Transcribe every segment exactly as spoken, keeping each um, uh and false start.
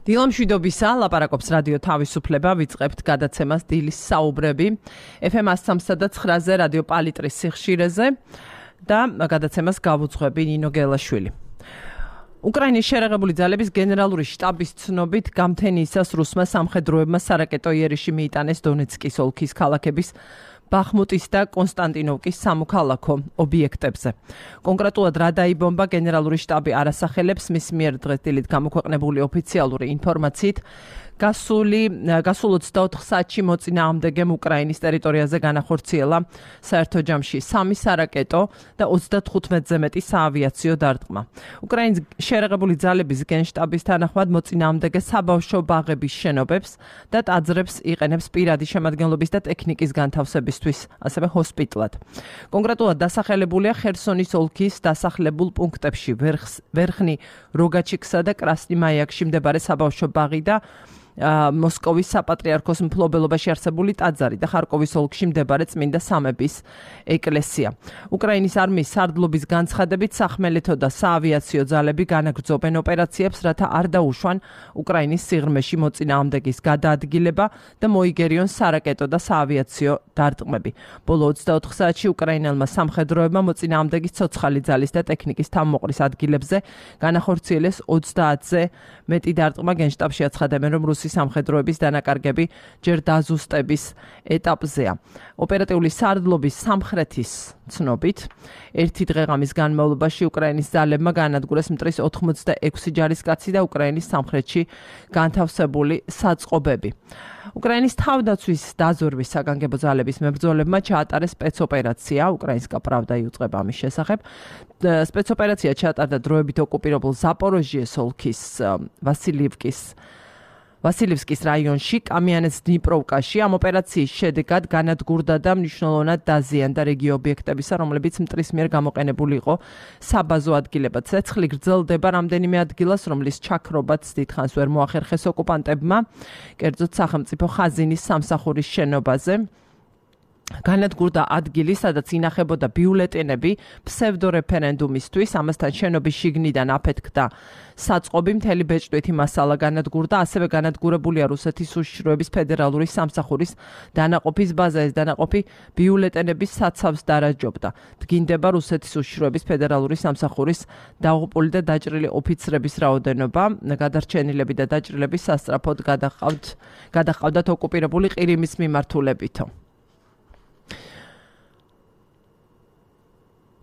დილამშვიდობისა, ლაპარაკობს რადიო თავისუფლება, ვიწყებთ გადაცემას დილის საუბრები. ეფ ემ one oh three point nine-ზე რადიო პალიტრის სიხშირეზე და გადაცემას გავუძღვები ნინო გელაშვილი. უკრაინის შერეღებული ძალების გენერალური შტაბის ცნობით გამთენიისას რუსმა სამხედროებმა სარაკეტო იერიში მიიტანეს დონეცკის ოლქის ქალაქების ბახმუტის და კონსტანტინოვკის სამოქალაქო ობიექტებზე. კონკრეტულად რა დაიბომბა გენერალური შტაბი არ ასახელებს, მის მიერ დღეს დილით გამოქვეყნებული ოფიციალური ინფორმაციით გასული გასულ ოცდაოთხ საათში მოწინააღმდეგემ უკრაინის ტერიტორიაზე განახორციელა საერთო ჯამში სამი სარაკეტო და ოცდათხუთმეტზე მეტი საავიაციო დარტყმა. უკრაინის შერეღებული ძალების გენშტაბის თანახმად მოწინააღმდეგე საბავშვო ბაღების შენობებს და ტაძრებს იყენებს პირადი შემადგენლობის და ტექნიკის განთავსებისთვის, ასევე ჰოსპიტლად. კონკრეტულად დასახელებულია ხერსონის ოლქის დასახლებულ პუნქტებში ვერხნი როგაჩიკსა და კრასნი მაიაკში მდებარე საბავშვო ბაღი და მოსკოვის საპატრიარქოს მფლობელობაში არსებული ტაძარი და ხარკოვის ოლქში მდებარე წმინდა სამების ეკლესია. უკრაინის არმიის სარდლობის განცხადებით სახმელეთო და საავიაციო ძალები განაგრძობენ ოპერაციებს, რათა არ დაუშვან უკრაინის სიღრმეში მოწინააღმდეგის გადაადგილება და მოიგერიონ სარაკეტო და საავიაციო დარტყმები. ბოლო ოცდაოთხ საათში უკრაინელმა სამხედროებმა მოწინააღმდეგის ცოცხალი ძალის და ტექნიკის თავმოყრის ადგილებზე განახორციელეს ოცდაათზე მეტი დარტყმა. გენშტაბში აცხადებენ, რომ რუსი სამხედროების დანაკარგები ჯერ დაზუსტების ეტაპზეა. ოპერატიული სარდლობის სამხრეთის ცნობით, ერთი დღეღამის განმავლობაში უკრაინის ძალებმა გაანადგურეს მტრის ოთხმოცდაექვსი ჯარისკაცი და უკრაინის სამხრეთში განთავსებული საწყობები. უკრაინის თავდაცვის დაზვერვის საგანგებო ძალების მებრძოლებმა ჩაატარეს სპეცოპერაცია, უკრაინსკა პრავდა იუწყება ამის შესახებ. სპეცოპერაცია ჩაატარდა დროებით ოკუპირებულ ზაპოროჟიეს ოლქის ვასილივკის ვასილივსკის რაიონში, კამიანეს დნიპროვკაში. ამ ოპერაციის შედეგად განადგურდა და მნიშვნელოვნად დაზიანდა რეგიო ობიექტებისა, რომლებიც მტრის მიერ გამოყენებული იყო საბაზო ადგილებად. ცეცხლი გრძელდება რამდენიმე ადგილას, რომლის ჩაქრობაც დიდხანს ვერ მოახერხეს ოკუპანტებმა, კერძოდ სახელმწიფო ხაზინის სამსახურის შენობაზე. განადგურდა ადგილი, სადაც ინახებოდა ბიულეტენები ფსევდორეფერენდუმისთვის, ამასთან შენობის შიგნიდან აფეთქდა საწყობი, მთელი ბეჭდვითი მასალა განადგურდა, ასევე განადგურებულია რუსეთის უშიშროების ფედერალური სამსახურის დანაყოფის ბაზა. ეს დანაყოფი ბიულეტენების საცავს დარაჯობდა. დგინდება რუსეთის უშიშროების ფედერალური სამსახურის დაღუპული და დაჭრილი ოფიცრების რაოდენობა. გადარჩენილები და დაჭრილები სასწრაფოდ გადაჰყავთ გადაჰყავდათ ოკუპირებული ყირიმის მიმართულებითო.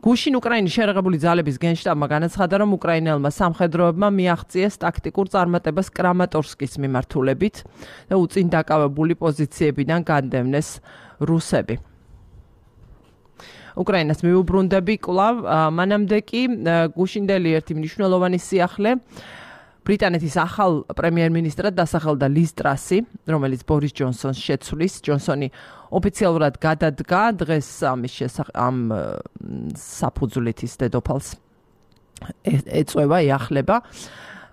გუშინ უკრაინის შერეღებული ძალების გენშტაბმა განაცხადა, რომ უკრაინელმა სამხედროებმა მიაღწიეს ტაქტიკურ წარმატებას კრამატორსკის მიმართულებით და უწინ დაკავებული პოზიციებიდან განდევნეს რუსები. უკრაინას მიუბრუნდები კვლავ, მანამდე კი გუშინდელი ერთი მნიშვნელოვანი სიახლე ბრიტანეთის ახალ პრემიერ-მინისტრად დასახელდა ლის ტრასი, რომელიც ბორის ჯონსონს შეცვლის. ჯონსონი ოფიციალურად გადადგა დღეს ამის შესახებ ამ საფუძვლით ის დედოფალს ეწევა, ეახლება.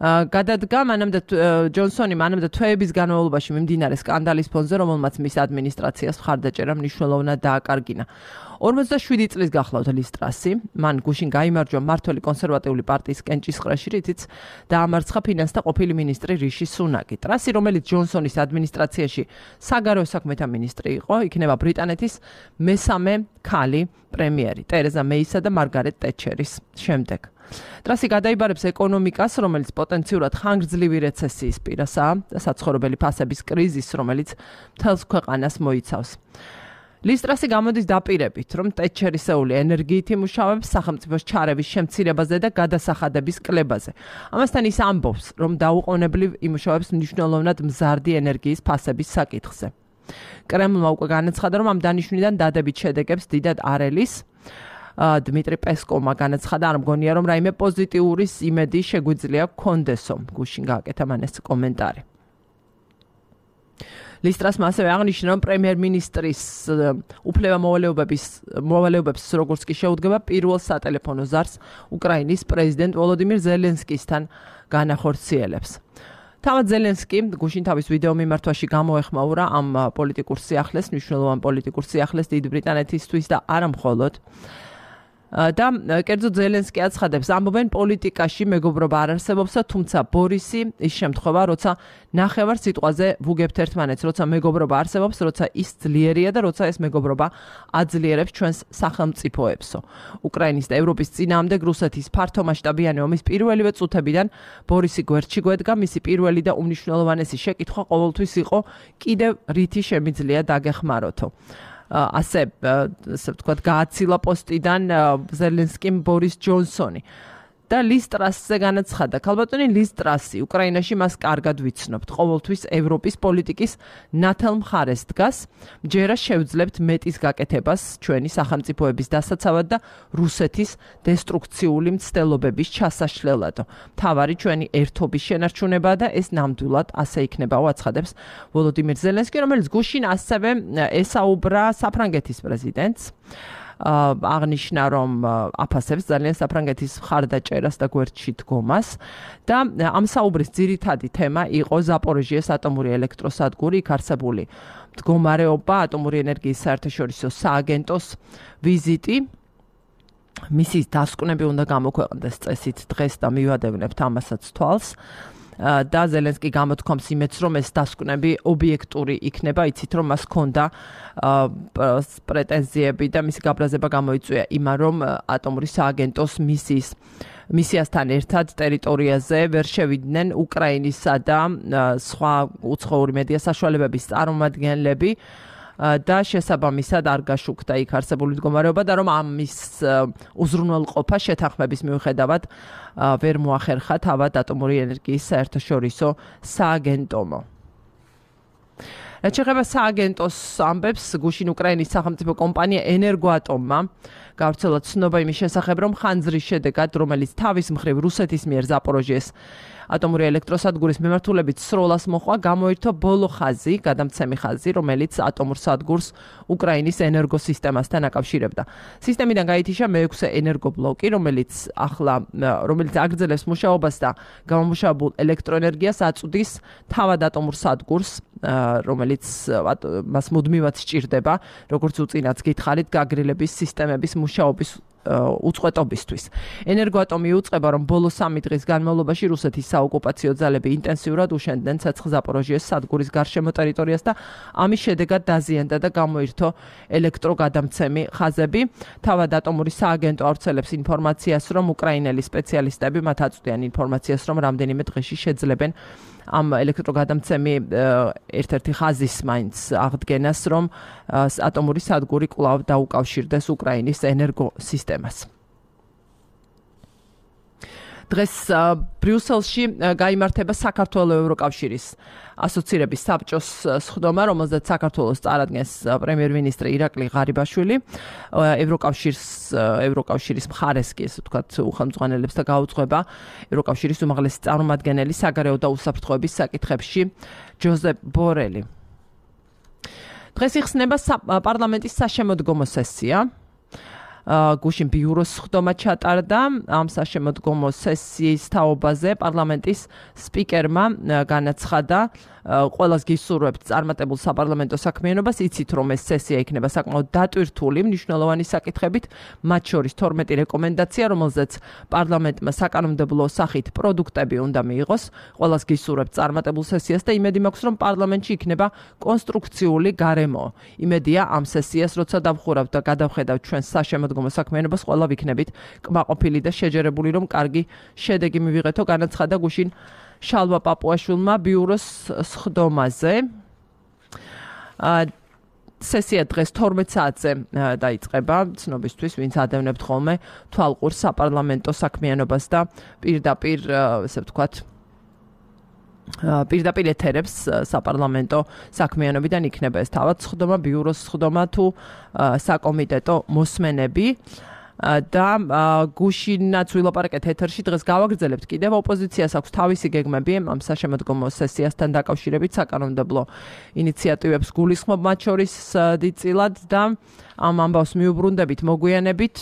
გადადგა მანამდე ჯონსონი მანამდე თვეების განმავლობაში მიმდინარე სკანდალის ფონზე, რომელმაც მის ადმინისტრაციას მხარდაჭერა მნიშვნელოვნად დააკარგინა. ორმოცდაშვიდი წლის გახლავთ ლის ტრასი, მან გუშინ გაიმარჯვა მმართველი კონსერვატიული პარტიის კენჭისყრაში, რითიც დაამარცხა ფინანსთა ყოფილი მინისტრი რიში სუნაკი. ტრასი, რომელიც ჯონსონის ადმინისტრაციაში საგარეო საქმეთა მინისტრი იყო, იქნება ბრიტანეთის მესამე ქალი პრემიერი, ტერეზა მეისა და მარგარეტ ტეტჩერის შემდეგ. ტრასი გადაიბარებს ეკონომიკას, რომელიც პოტენციურად ხანგრძლივი რეცესიის პირასაა და საცხოვრებელი ფასების კრიზისს, რომელიც მთელს ქვეყანას მოიცავს. ლის ტრასი გამოდის დაპირებით, რომ ტეტჩერისეული ენერგიით იმუშავებს სახელმწიფოს ჩარევის შემცირებაზე და გადასახადების კლებაზე. ამასთან ის ამბობს, რომ დაუყოვნებლივ იმუშავებს მნიშვნელოვნად მზარდი ენერგიის ფასების საკითხზე. კრემლმა უკვე განაცხადა, რომ ამ დანიშვნიდან დადებით შედეგებს დიდად არ ელის. დმიტრი პესკოვმა განაცხადა, არ მგონია, რომ რაიმე პოზიტიური იმედი შეგვიძლია გქონდესო. გუშინ გააკეთა მან ეს კომენტარი. ლის ტრასმა ასევე აღნიშნა, რომ პრემიერ-მინისტრის უფლება მოვალეობების მოვალეობებს როგორც კი შეუდგება პირველ სატელეფონო ზარს უკრაინის პრეზიდენტ ვოლოდიმირ ზელენსკისთან განახორციელებს. თავად ზელენსკი გუშინ თავის ვიდეო მიმართვაში გამოეხმაურა ამ პოლიტიკურ სიახლეს, მნიშვნელოვან პოლიტიკურ სიახლეს დიდ ბრიტანეთისთვის და არა მხოლოდ. და კერძო ზელენსკი აცხადებს, ამბობენ პოლიტიკაში მეგობრობა არ არსებობს, თუმცა ბორისი ის შემთხვევა, როცა ნახევარ სიტყვაზე ვუგებთ ერთმანეთს, როცა მეგობრობა არსებობს, როცა ის ძლიერია და როცა ეს მეგობრობა აძლიერებს ჩვენს სახელმწიფოებსო. უკრაინის და ევროპის წინააღმდეგ რუსეთის ფართომასშტაბიანი ომის პირველივე წუთებიდან ბორისი გვერდში გვედგა, მისი პირველი და უმნიშვნელოვანესი შეკითხვა ყოველთვის იყო კიდევ რითი შემიძლია დაგეხმაროთო. ასე ასე ვთქვათ, გააცილა პოსტიდან ზელენსკიმ ბორის ჯონსონი. და ლის ტრასზე განაცხადა, ქალბატონი ლის ტრასი უკრაინაში მას კარგად ვიცნობთ, ყოველთვის ევროპის პოლიტიკის ნათელ მხარეს დგას, ჯერა შევძლებთ მეტის გაკეთებას ჩვენი სახელმწიფოების დასაცავად და რუსეთის დესტრუქციული მცდელობების ჩასაშლელად. მთავარი ჩვენი ერთობის შენარჩუნებაა და ეს ნამდვილად ასე იქნებაო, აცხადებს ვოლოდიმირ ზელენსკი, რომელიც გუშინ ასევე ესაუბრა საფრანგეთის პრეზიდენტს. აღნიშნა, რომ აფასებს ძალიან საფრანგეთის მხარდაჭერას და გვერდში დგომას და ამ საუბრის ძირითადი თემა იყო ზაპოროჟიეს ატომური ელექტროსადგური, იქ არსებული მდგომარეობა, ატომური ენერგიის საერთაშორისო სააგენტოს ვიზიტი. მისის დასკვნები უნდა გამოქვეყნდეს წესით დღეს და მივადევნებთ ამასაც თვალს. და ზელენსკი გამოთქვამს იმედს, რომ ეს დასკვნები ობიექტური იქნება, იცით რომ მას ჰქონდა პრეტენზიები და მისი გაბრაზება გამოიწვია იმან, რომ ატომური სააგენტოს მისიის მისიასთან ერთად ტერიტორიაზე ვერ შევიდნენ უკრაინისა და სხვა უცხოური მედია საშუალებების წარმომადგენლები და შესაბამისად არ გაშუქდა იქ არსებული მდგომარეობა და რომ ამის უზრუნველყოფა შეთანხმების მიუხედავად ვერ მოახერხა თავად ატომური ენერგიის საერთაშორისო სააგენტომო. რაც შეეხება სააგენტოს ამბებს, გუშინ უკრაინის სახელმწიფო კომპანია ენერგოატომმა გავრცელა ცნობა იმის შესახებ, რომ ხანძრის შედეგად, რომელიც თავის მხრივ რუსეთის მიერ ზაპოროჟიეს ატომური ელექტროსადგურის მიმართულებით სროლას მოხვა, გამოირთო ბოლო ხაზი, გადამცემი ხაზი, რომელიც ატომურ სადგურს უკრაინის ენერგოსისტემასთან აკავშირებდა. სისტემიდან გაითიშა მეექვსე ენერგობლოკი, რომელიც ახლა რომელიც აგრძელებს მუშაობას და გამომუშავებულ ელექტროენერგიას აწვდის თავად ატომურ სადგურს, რომელიც მას მუდმივად სჭირდება, როგორც უწინაც გითხარით, გაგრილების სისტემების მუშაობის უწყვეტობისთვის. ენერგოატომი იუწყება, რომ ბოლო სამი დღის განმავლობაში რუსეთის საოკუპაციო ძალები ინტენსიურად უშენდნენ ცეცხლ ზაპოროჟიეს სადგურის გარშემო ტერიტორიას და ამის შედეგად დაზიანდა და გამოირთო ელექტროგადამცემი ხაზები. თავად ატომური სააგენტო ავრცელებს ინფორმაციას, რომ უკრაინელი სპეციალისტები მათ აწვდიან ინფორმაციას, რომ რამდენიმე დღეში შეძლებენ ამ ელექტროგადამცემი ერთ-ერთი ხაზის მაინც აღდგენას, რომ ატომური სადგური კვლავ დაუკავშირდეს უკრაინის ენერგოსისტემას. დღეს ბრიუსელში გაიმართება საქართველოს ევროკავშირის ასოცირების საბჭოს სხდომა, რომელზეც საქართველოს წარადგენს პრემიერ-მინისტრი ირაკლი ღარიბაშვილი. ევროკავშირის ევროკავშირის მხარეს კი ესე ვთქვათ უხელმძღვანელებს და გაუძღვება ევროკავშირის უმაღლესი წარმომადგენელი საგარეო და უსაფრთხოების საკითხებში ჯოზეფ ბორელი. დღეს იხსნება პარლამენტის საშემოდგომო სესია. გუშინ ბიუროს სხდომა ჩატარდა ამ საშემოდგომო სესიის თაობაზე პარლამენტის სპიკერმა განაცხადა ყველას გისურვებთ წარმატებულ საპარლამენტო საქმიანობას, იცით რომ ეს სესია იქნება საკმაოდ დატვირთული მნიშვნელოვანი საკითხებით, მათ შორის თორმეტი რეკომენდაცია, რომელზეც პარლამენტმა საკანონმდებლო სახით პროდუქტები უნდა მიიღოს. ყველას გისურვებთ წარმატებულ სესიას და იმედი მაქვს, რომ პარლამენტში იქნება კონსტრუქციული გარემო. იმედია ამ სესიას, როცა დავხურავთ და გადავხედავთ ჩვენს საშემოდგომო საქმიანობას, ყველა ვიქნებით კმაყოფილი და შეჯერებული, რომ კარგი შედეგი მივიღეთო, განაცხადა გუშინ შალვა პაპუაშვილმა ბიუროს სხდომაზე. სესია დღეს თორმეტ საათზე დაიწყება, ცნობისთვის, ვინც ადევნებთ ხოლმე თვალყურს საპარლამენტო საქმიანობას და პირდაპირ, ესე ვთქვათ, პირდაპირ ეთერებს საპარლამენტო საქმიანობიდან იქნება ეს თავად სხდომა, ბიუროს სხდომა თუ საკომიტეტო მოსმენები. და გუშინაც ვილაპარაკეთ ეთერში, დღეს გავაგრძელებთ კიდევ ოპოზიციას აქვს თავისი გეგმები ამ საშემოდგომო სესიასთან დაკავშირებით, საკანონმდებლო ინიციატივებს გულისხმობ მათ შორის დიდწილად და ამ ამბავს მიუბრუნდებით, მოგვიანებით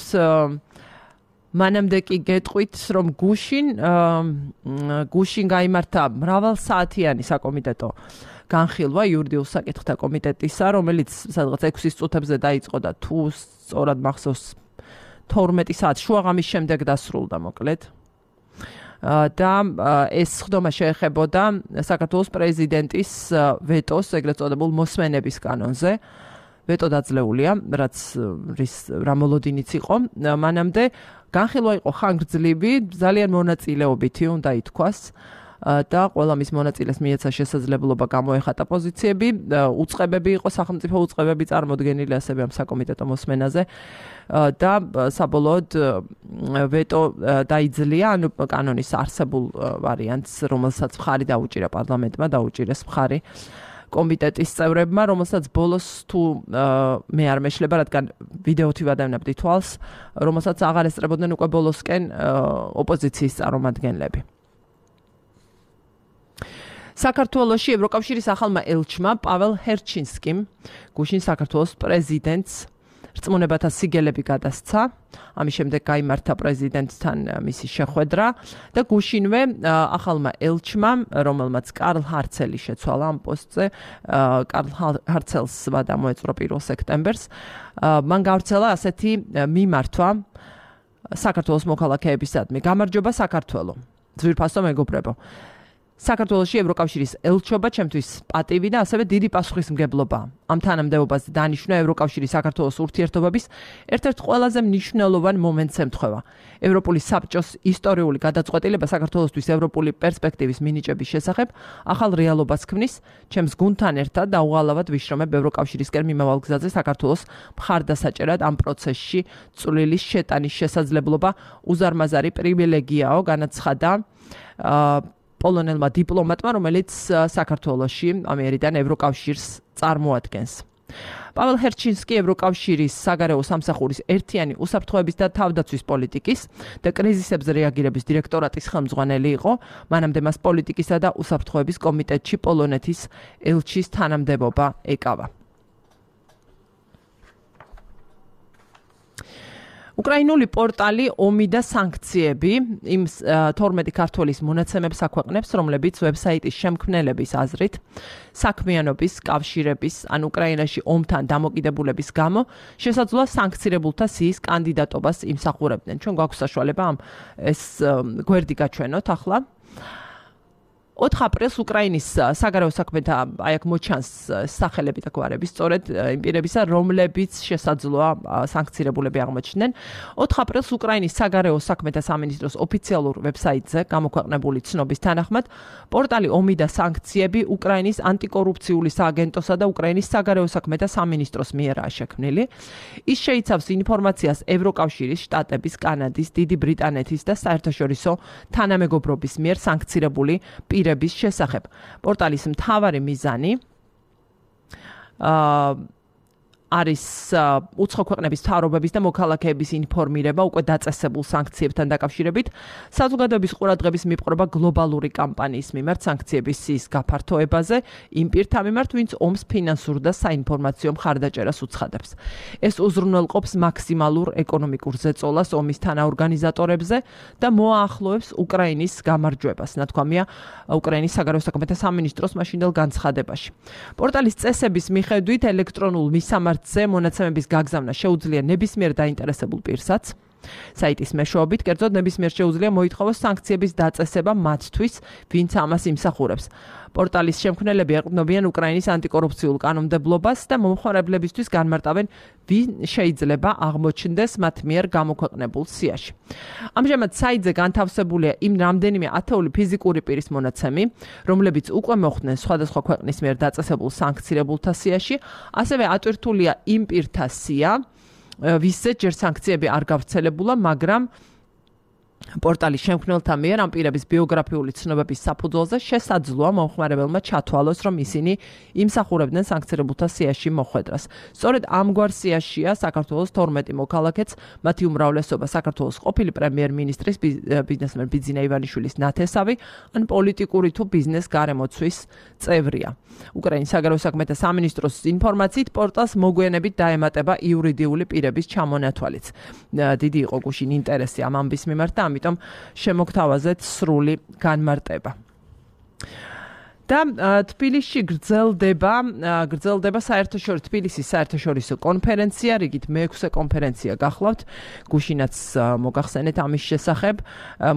მანამდე კი გეტყვით, რომ გუშინ გუშინ გაიმართა მრავალსაათიანი საკომიტეტო განხილვა იურიდიულ საკითხთა კომიტეტისა, რომელიც სადღაც ექვსის წუთებზე დაიწყო და თუ სწორად მახსოვს თორმეტი საათი შუაღამის შემდეგ დასრულდა მოკლედ. და ეს ხდომა შეეხებოდა საქართველოს პრეზიდენტის ვეტოს, ეგრეთ წოდებულ მოსმენების კანონზე. ვეტო დაძლეულია, რაც რის რა მოლოდინიც იყო. მანამდე განხილვა იყო ხანგრძლივი, ძალიან მონაწილეობითი უნდა ითქვას. და ყველა მის მონაწილეს მიეცა შესაძლებლობა გამოეხატა პოზიციები, უწყებები იყო სახელმწიფო უწყებები წარმოდგენილი ასევე ამ საკომიტეტო მოსმენაზე და საბოლოოდ ვეტო დაიძლია, ანუ კანონის არსებულ ვარიანტს, რომელსაც მხარი დაუჭირა პარლამენტმა, დაუჭირეს მხარი კომიტეტის წევრებმა, რომელსაც ბოლოს თუ მე არ მეშლება, რადგან ვიდეოთი ვადევნებდი თვალს, რომელსაც აღარ ესწრებოდნენ უკვე ბოლოსკენ ოპოზიციის წარმომადგენლები. საქართველოში ევროკავშირის ახალმა ელჩმა პაվել ჰერჩინსკიმ გუშინ საქართველოს პრეზიდენტს რწმუნებათა სიგელები გადასცა. ამის შემდეგ გაიმართა პრეზიდენტთან მისი შეხვედრა და გუშინვე ახალმა ელჩმა, რომელმაც კარლ ჰარცელი შეცვალა ამ პოსტზე, კარლ ჰარცელს ვადა მოეწრო პირველ სექტემბერს, მან გავრცელა ასეთი მიმართვა საქართველოს მოქალაქეებისადმი. გამარჯობა საქართველო. ძვირფასო მეგობრებო. საქართველოში ევროკავშირის ელჩობა ჩემთვის პატივი და ასევე დიდი პასუხისმგებლობაა. ამ თანამდებობაზე დანიშნვა ევროკავშირის საქართველოს ურთიერთობების ერთ-ერთ ყველაზე მნიშვნელოვან მომენტს ემთხვევა. ევროპული საბჭოს ისტორიული გადაწყვეტილება საქართველოსთვის ევროპული პერსპექტივის მინიჭების შესახებ ახალ რეალობას ქმნის. ჩემს გუნდთან ერთად დაუღალავად ვიშრომებ ევროკავშირისკენ მიმავალ გზაზე საქართველოს მხარდასაჭერად ამ პროცესში წვლილი შეტანის შესაძლებლობა უზარმაზარი პრივილეგიაო, განაცხადა პოლონელმა დიპლომატმა, რომელიც საქართველოში ამერიდან ევროკავშირს წარმოადგენს. პაվել ჰერჩინსკი ევროკავშირის საგარეო სამსახურის ერთიანი უსაფრთხოების და თავდაცვის პოლიტიკის და კრიზისებზე რეაგირების დირექტორატის ხელმძღვანელი იყო. მანამდე მას პოლიტიკისა და უსაფრთხოების კომიტეტში პოლონეთის ელჩის თანამდებობა ეკავა. უკრაინული პორტალი ომი და სანქციები იმ თორმეტი ქართველის მონაცემებს აქვეყნებს, რომლებიც ვებსაიტის შემქმნელების აზრით საქმიანობის, კავშირების ან უკრაინაში ომთან დამოკიდებულების გამო შესაძლოა სანქცირებულთა სიის კანდიდატობას იმსახურებდნენ. ჩვენ გვაქვს საშუალება ამ ეს გვერდი გაჩვენოთ ახლა. ოთხ აპრილს უკრაინის საგარეო საქმეთა აი აქ მოჩანს სახელები და გვარები, სწორედ იმ პირებისა, რომლებიც შესაძლოა სანქცირებულები აღმოჩნდნენ. ოთხ აპრილს უკრაინის საგარეო საქმეთა სამინისტროს ოფიციალურ ვებსაიტზე გამოქვეყნებული ცნობის თანახმად, პორტალი ომი და სანქციები უკრაინის ანტიკორუფციული სააგენტოსა და უკრაინის საგარეო საქმეთა სამინისტროს მიერაა შექმნილი. ის შეიცავს ინფორმაციას ევროკავშირის, შტატების, კანადის, დიდი ბრიტანეთის და საერთაშორისო თანამეგობრობის მიერ სანქცირებული პირების შესახებ. პორტალის მთავარი მიზანი აა არის უცხო ქვეყნების მთავრობების და მოქალაქეების ინფორმირება უკვე დაწესებულ სანქციებთან დაკავშირებით, საზოგადოების ყურადღების მიპყრობა გლობალური კამპანიის მიმართ სანქციების სიის გაფართოებაზე, იმ პირთა მიმართ, ვინც ომს ფინანსურ და საინფორმაციო მხარდაჭერას უცხადებს. ეს უზრუნველყოფს მაქსიმალურ ეკონომიკურ ზეწოლას ომის თანაორგანიზატორებზე და მოაახლოებს უკრაინის გამარჯვებას, ნათქვამია უკრაინის საგარეო საქმეთა სამინისტროს მაშინდელ განცხადებაში. პორტალის წესების მიხედვით ელექტრონულ მისამართზე მონაცემების გაგზავნა შეუძლია ნებისმიერ დაინტერესებულ პირსაც. საიტის მეშვეობით, კერძოდ ნებისმიერ შეუძლია მოითხოვოს სანქციების დაწესება მათთვის, ვინც ამას იმსახურებს. პორტალის შემქმნელები ეყრდნობიან უკრაინის ანტიკორუფციულ კანონმდებლობას და მომხმარებლებისთვის განმარტავენ, ვინ შეიძლება აღმოჩნდეს მათ მიერ გამოქვეყნებულ სიაში. ამჟამად საიტზე განთავსებულია იმ რამდენიმე ათეული ფიზიკური პირის მონაცემი, რომლებიც უკვე მოხვდნენ სხვადასხვა ქვეყნის მიერ დაწესებულ სანქცირებულთა სიაში, ასევე ატვირთულია იმ პირთა სია, ვისაც ჯერ სანქციები არ გავრცელებულა, მაგრამ პორტალის შემქმნელთა მიერ ამ პირების ბიოგრაფიული ცნობების საფუძველზე შესაძლოა მომხმარებელმა ჩათვალოს, რომ ისინი იმსახურებდნენ სანქცირებულთა სიაში მოხვედრას. სწორედ ამგვარ სიაშია საქართველოს თორმეტი მოქალაქეც, მათი უმრავლესობა საქართველოს ყოფილი პრემიერ-მინისტრის ბიზნესმენ ბიძინა ივანიშვილის ნათესავი, ან პოლიტიკური თუ ბიზნეს გარემოცვის წევრია. უკრაინის საგარეო საქმეთა სამინისტროს ინფორმაციით პორტალს მოგვიანებით დაემატება იურიდიული პირების ჩამონათვალიც. დიდი იყო გუშინ ინტერესი ამ ამბის მიმართ და ამიტომ შემოგთავაზეთ სრული განმარტება. და თბილისში გრძელდება გრძელდება საერთაშორისო თბილისის საერთაშორისო კონფერენცია, რიგით მეექვსე კონფერენცია გახლავთ. გუშინაც მოგახსენეთ ამის შესახებ.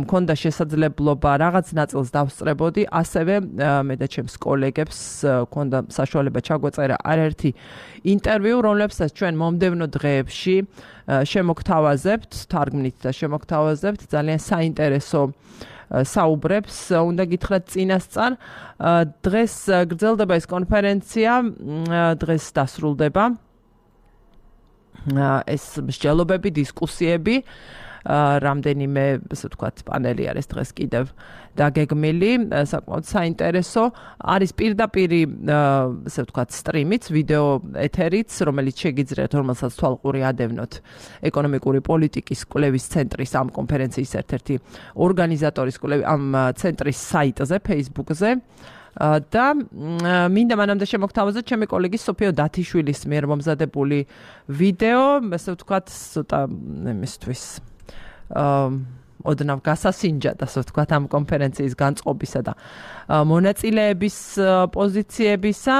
მქონდა შესაძლებლობა რაღაც ნაწილს დავსწრებოდი, ასევე მე და ჩემს კოლეგებს მქონდა საშუალება ჩაგვეწერა არაერთი ინტერვიუ, რომლებსაც ჩვენ მომდევნო დღეებში შემოგთავაზებთ, თარგმნით და შემოგთავაზებთ. ძალიან საინტერესო საუბრებს უნდა გითხრათ წინასწარ. დღეს გრძელდება ეს კონფერენცია, დღეს დასრულდება ეს მსჯელობები, დისკუსიები. რამდენიმე, ასე ვთქვათ, პანელი არის დღეს კიდევ დაგეგმილი, საკმაოდ საინტერესო. არის პირდაპირი, ასე ვთქვათ, სტრიმიც, ვიდეო ეთერიც, რომელიც შეგიძლიათ, რომელსაც თვალყური ადევნოთ ეკონომიკური პოლიტიკის კვლევის ცენტრის ამ კონფერენციის ერთ-ერთი ორგანიზატორის კვლევის ამ ცენტრის საიტზე, Facebook-ზე. და მინდა მანამდე შემოგთავაზოთ ჩემი კოლეგის სოფიო დათიშვილის მიერ მომზადებული ვიდეო, ასე ვთქვათ, ცოტა იმისთვის ოდნავ გასასინჯად, ასე ვთქვათ, ამ კონფერენციის განწყობისა და მონაწილეების პოზიციებისა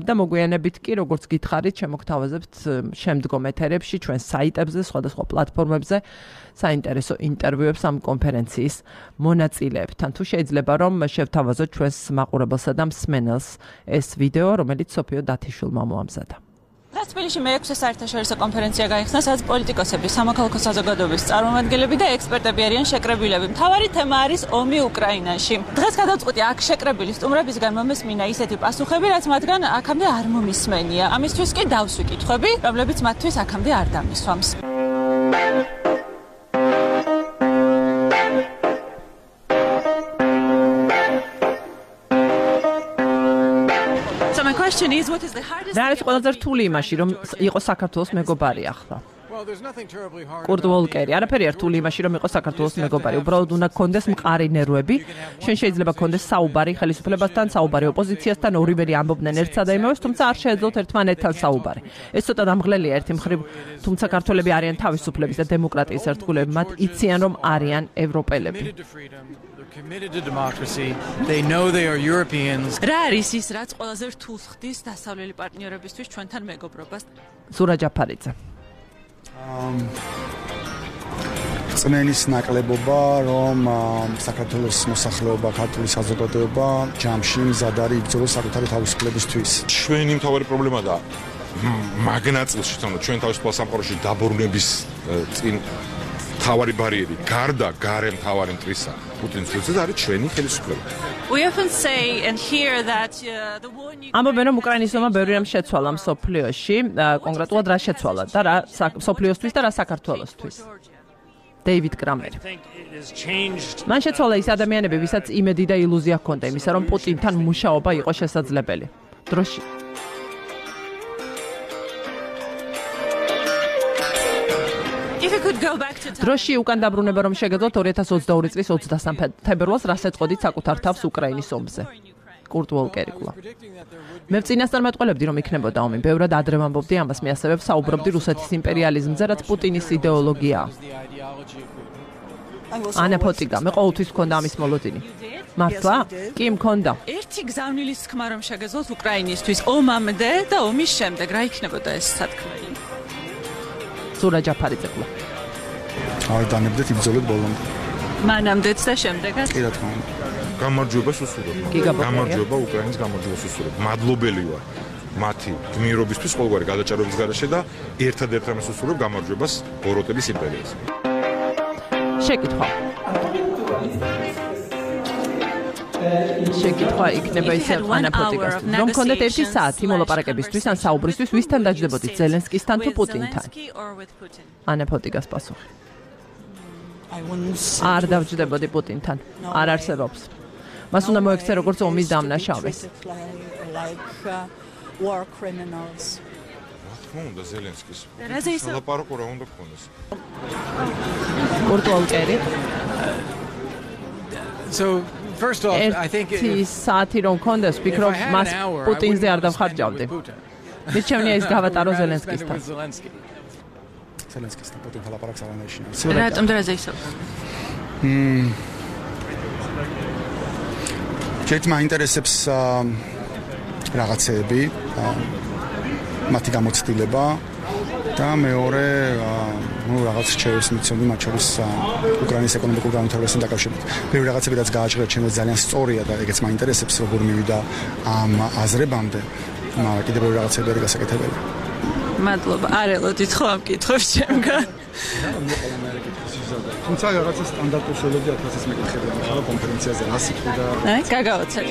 და მოგვიანებით კი, როგორც გითხარით, შემოგთავაზებთ შემდგომ ეთერებში, ჩვენ საიტებზე, სხვადასხვა პლატფორმებზე საინტერესო ინტერვიუებს ამ კონფერენციის მონაწილეებთან. თუ შეიძლება რომ შევთავაზოთ ჩვენს მაყურებელსა და მსმენელს ეს ვიდეო, რომელიც სოფიო დათიშვილმა მოამზადა. თბილისში მეექვსე საერთაშორისო კონფერენცია გაიხსნა, სადაც პოლიტიკოსები, სამოქალაქო საზოგადოების წარმომადგენლები და ექსპერტები არიან შეკრებილები. მთავარი თემა არის ომი უკრაინაში. დღეს გადავწყვიტე აქ შეკრებილი სტუმრებისგან მომესმინა ისეთი პასუხები, რაც მათგან აქამდე არ მომისმენია. ამისთვის კი დავსვი კითხვები, რომლებიც მათთვის აქამდე არ დამისვამს. რა არის ყველაზე რთული იმაში, რომ იყო საქართველოს მეგობარი ახლა? კურტ ვოლკერი. არაფერი არ რთული იმაში, რომ იყო საქართველოს მეგობარი. უბრალოდ უნდა გქონდეს მყარი ნერვები. შენ შეიძლება გქონდეს საუბარი ხელისუფლებასთან, საუბარი ოპოზიციასთან, ორივე ამბობდნენ ერთსა და იმავეს, თუმცა არ შეეძლოთ ერთმანეთთან საუბარი. ეს ცოტა დამღლელია ერთი მხრივ, თუმცა ქართველები არიან თავისუფლების და დემოკრატიის ერთგულები, მათ იციან რომ არიან ევროპელები. Committed to democracy. They know they are Europeans. რა არის ის, რაც ყველაზე რთულს ხდის დასავლელი პარტნიორებისთვის ჩვენთან მეგობრობას? ზურა ჯაფარიძე. Um წმენის ნაკლებობა, რომ საქართველოს მოსახლეობა, ქართული საზოგადოება ჯამში მზად არის იბრძოლოს საკუთარი თავისუფლებისთვის. ჩვენი მთავარი პრობლემა და მაგნაწილში თუნდაც ჩვენ თავისუფალ სამყაროში დაბრუნების წინ თავარი ბარიერი, გარდა გარე მთავარი მტრისა, პუტინის წინააღმდეგ არის ჩვენი ხელისუფლება. We often say and hear that uh, the war in ამბობენ რომ უკრაინის ომმა ბევრი რამ შეცვალა მსოფლიოში, კონკრეტულად რა შეცვალა და რა მსოფლიოსთვის და რა საქართველოსთვის. დეივიდ კრამერი. მან შეცვალა ის ადამიანები, ვისაც იმედი და ილუზია ჰქონდა იმისა, რომ პუტინთან მუშაობა იყო შესაძლებელი. დროში დროში უკან დაბრუნება რომ შეგეძლოთ ორი ათას ოცდაორი წლის ოცდასამი თებერვალს რას ეწყოდით საკუთარ თავს უკრაინის ომზე. კურტ ვოლკერი კვლავ. მე წინასწარ მეტყოლებდი რომ იქნებოდა ომი. ბევრად ადრე ვამბობდი ამას, მე ასევე საუბრობდი რუსეთის იმპერიალიზმზე, რაც პუტინის იდეოლოგიაა. ანა ფოტიგა, მე ყოველთვის მქონდა ამის მოლოდინი. მართლა? კი მქონდა. ერთი გზავნილის თქმა რომ შეგეძლოთ უკრაინისთვის ომამდე და ომის შემდეგ რა იქნებოდა ეს სათქმელი? ზურა ჯაფარიძე კვლავ. არ დამებდეთ იბრძოლეთ ბოლომდე. მანამდეც და შემდეგაც? კი რა თქმა უნდა. გამარჯვებას უსურვებ. გამარჯვება უკრაინის გამარჯვებას უსურვებ. მადლობელი ვარ მათი გმირობისთვის ყოველგვარი გადაჭარბების გარეშე და ერთადერთ ამას უსურვებ გამარჯვებას ბოროტების იმპერიაზე. შეკითხვა. შეკითხვა იქნება ისე ანა ფოტიკასთან. რომ გქონდეთ ერთი საათი მოლაპარაკებისთვის ან საუბრისთვის, ვისთან დაჯდებოდით, ზელენსკისთან თუ პუტინთან? ანა ფოტიკას პასუხი. არ დავჯდებოდი პუტინთან. არ არსებობს. მას უნდა მოექცე როგორც ომის დამნაშავეს. უნდა ზელენსკის. ლაპარაკო რა უნდა გქონდეს? კურტ ვოლკერი. So first off, I think ეს საათი რომ გქონდეს, ვფიქრობ მას პუტინზე არ დავხარჯავდი. მიჩვენია ის გავატარო ზელენსკისთან. ზელენსკისთან პუტინთან ლაპარაკს არ ანიშნა. რატომ დრაზე ისევ? მმ ერთ მაინტერესებს რაღაცეები, მათი გამოცდილება და მეორე ну რაღაც რჩევებს მიცემდი მათ შორის უკრაინის ეკონომიკურ განვითარებასთან დაკავშირებით. პირველი რაღაცები რაც გააჩნია ჩემს ძალიან სწორია და ეგეც მაინტერესებს როგორ მივიდა ამ აზრებამდე, მაგრამ კიდევ ბევრი რაღაცები არის გასაკეთებელი. მადლობა. არ ელოდით ხო ამ კითხვებს ჩემგან? თუმცა რაღაცა სტანდარტული შედეგი ათასის მეკითხები ახლა კონფერენციაზე რა სიტყვა და აი გაგავაცეთ.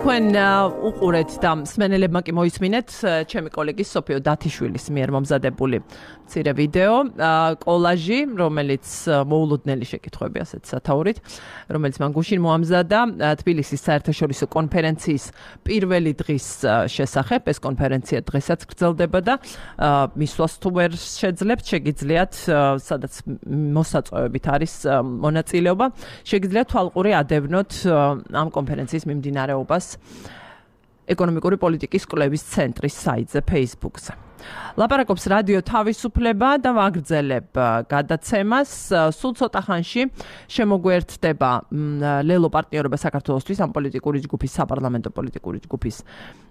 თქვენ უყურეთ და მსმენელებმა კი მოისმინეთ ჩემი კოლეგის სოფიო დათიშვილის მიერ მომზადებული მცირე ვიდეო კოლაჟი, რომელიც მოულოდნელი შეკითხვები ასეთ სათაურით, რომელიც მან გუშინ მოამზადა თბილისის საერთაშორისო კონფერენციის პირველი დღის შესახებ. ეს კონფერენცია დღესაც გრძელდება და მისვლას თუ ვერ შეძლებთ, შეგიძლიათ, სადაც მოსაწვევებით არის მონაწილეობა, შეგიძლიათ თვალყური ადევნოთ ამ კონფერენციის მიმდინარეობას ეკონომიკური პოლიტიკის კვლევის ცენტრის საიტზე Facebook-ზე. ლაპარაკობს რადიო თავისუფლება და ვაგრძელებ გადაცემას. სულ ცოტა ხანში შემოგვერთდება ლელო პარტნიორობა საქართველოსთვის ამ პოლიტიკური ჯგუფის საპარლამენტო პოლიტიკური ჯგუფის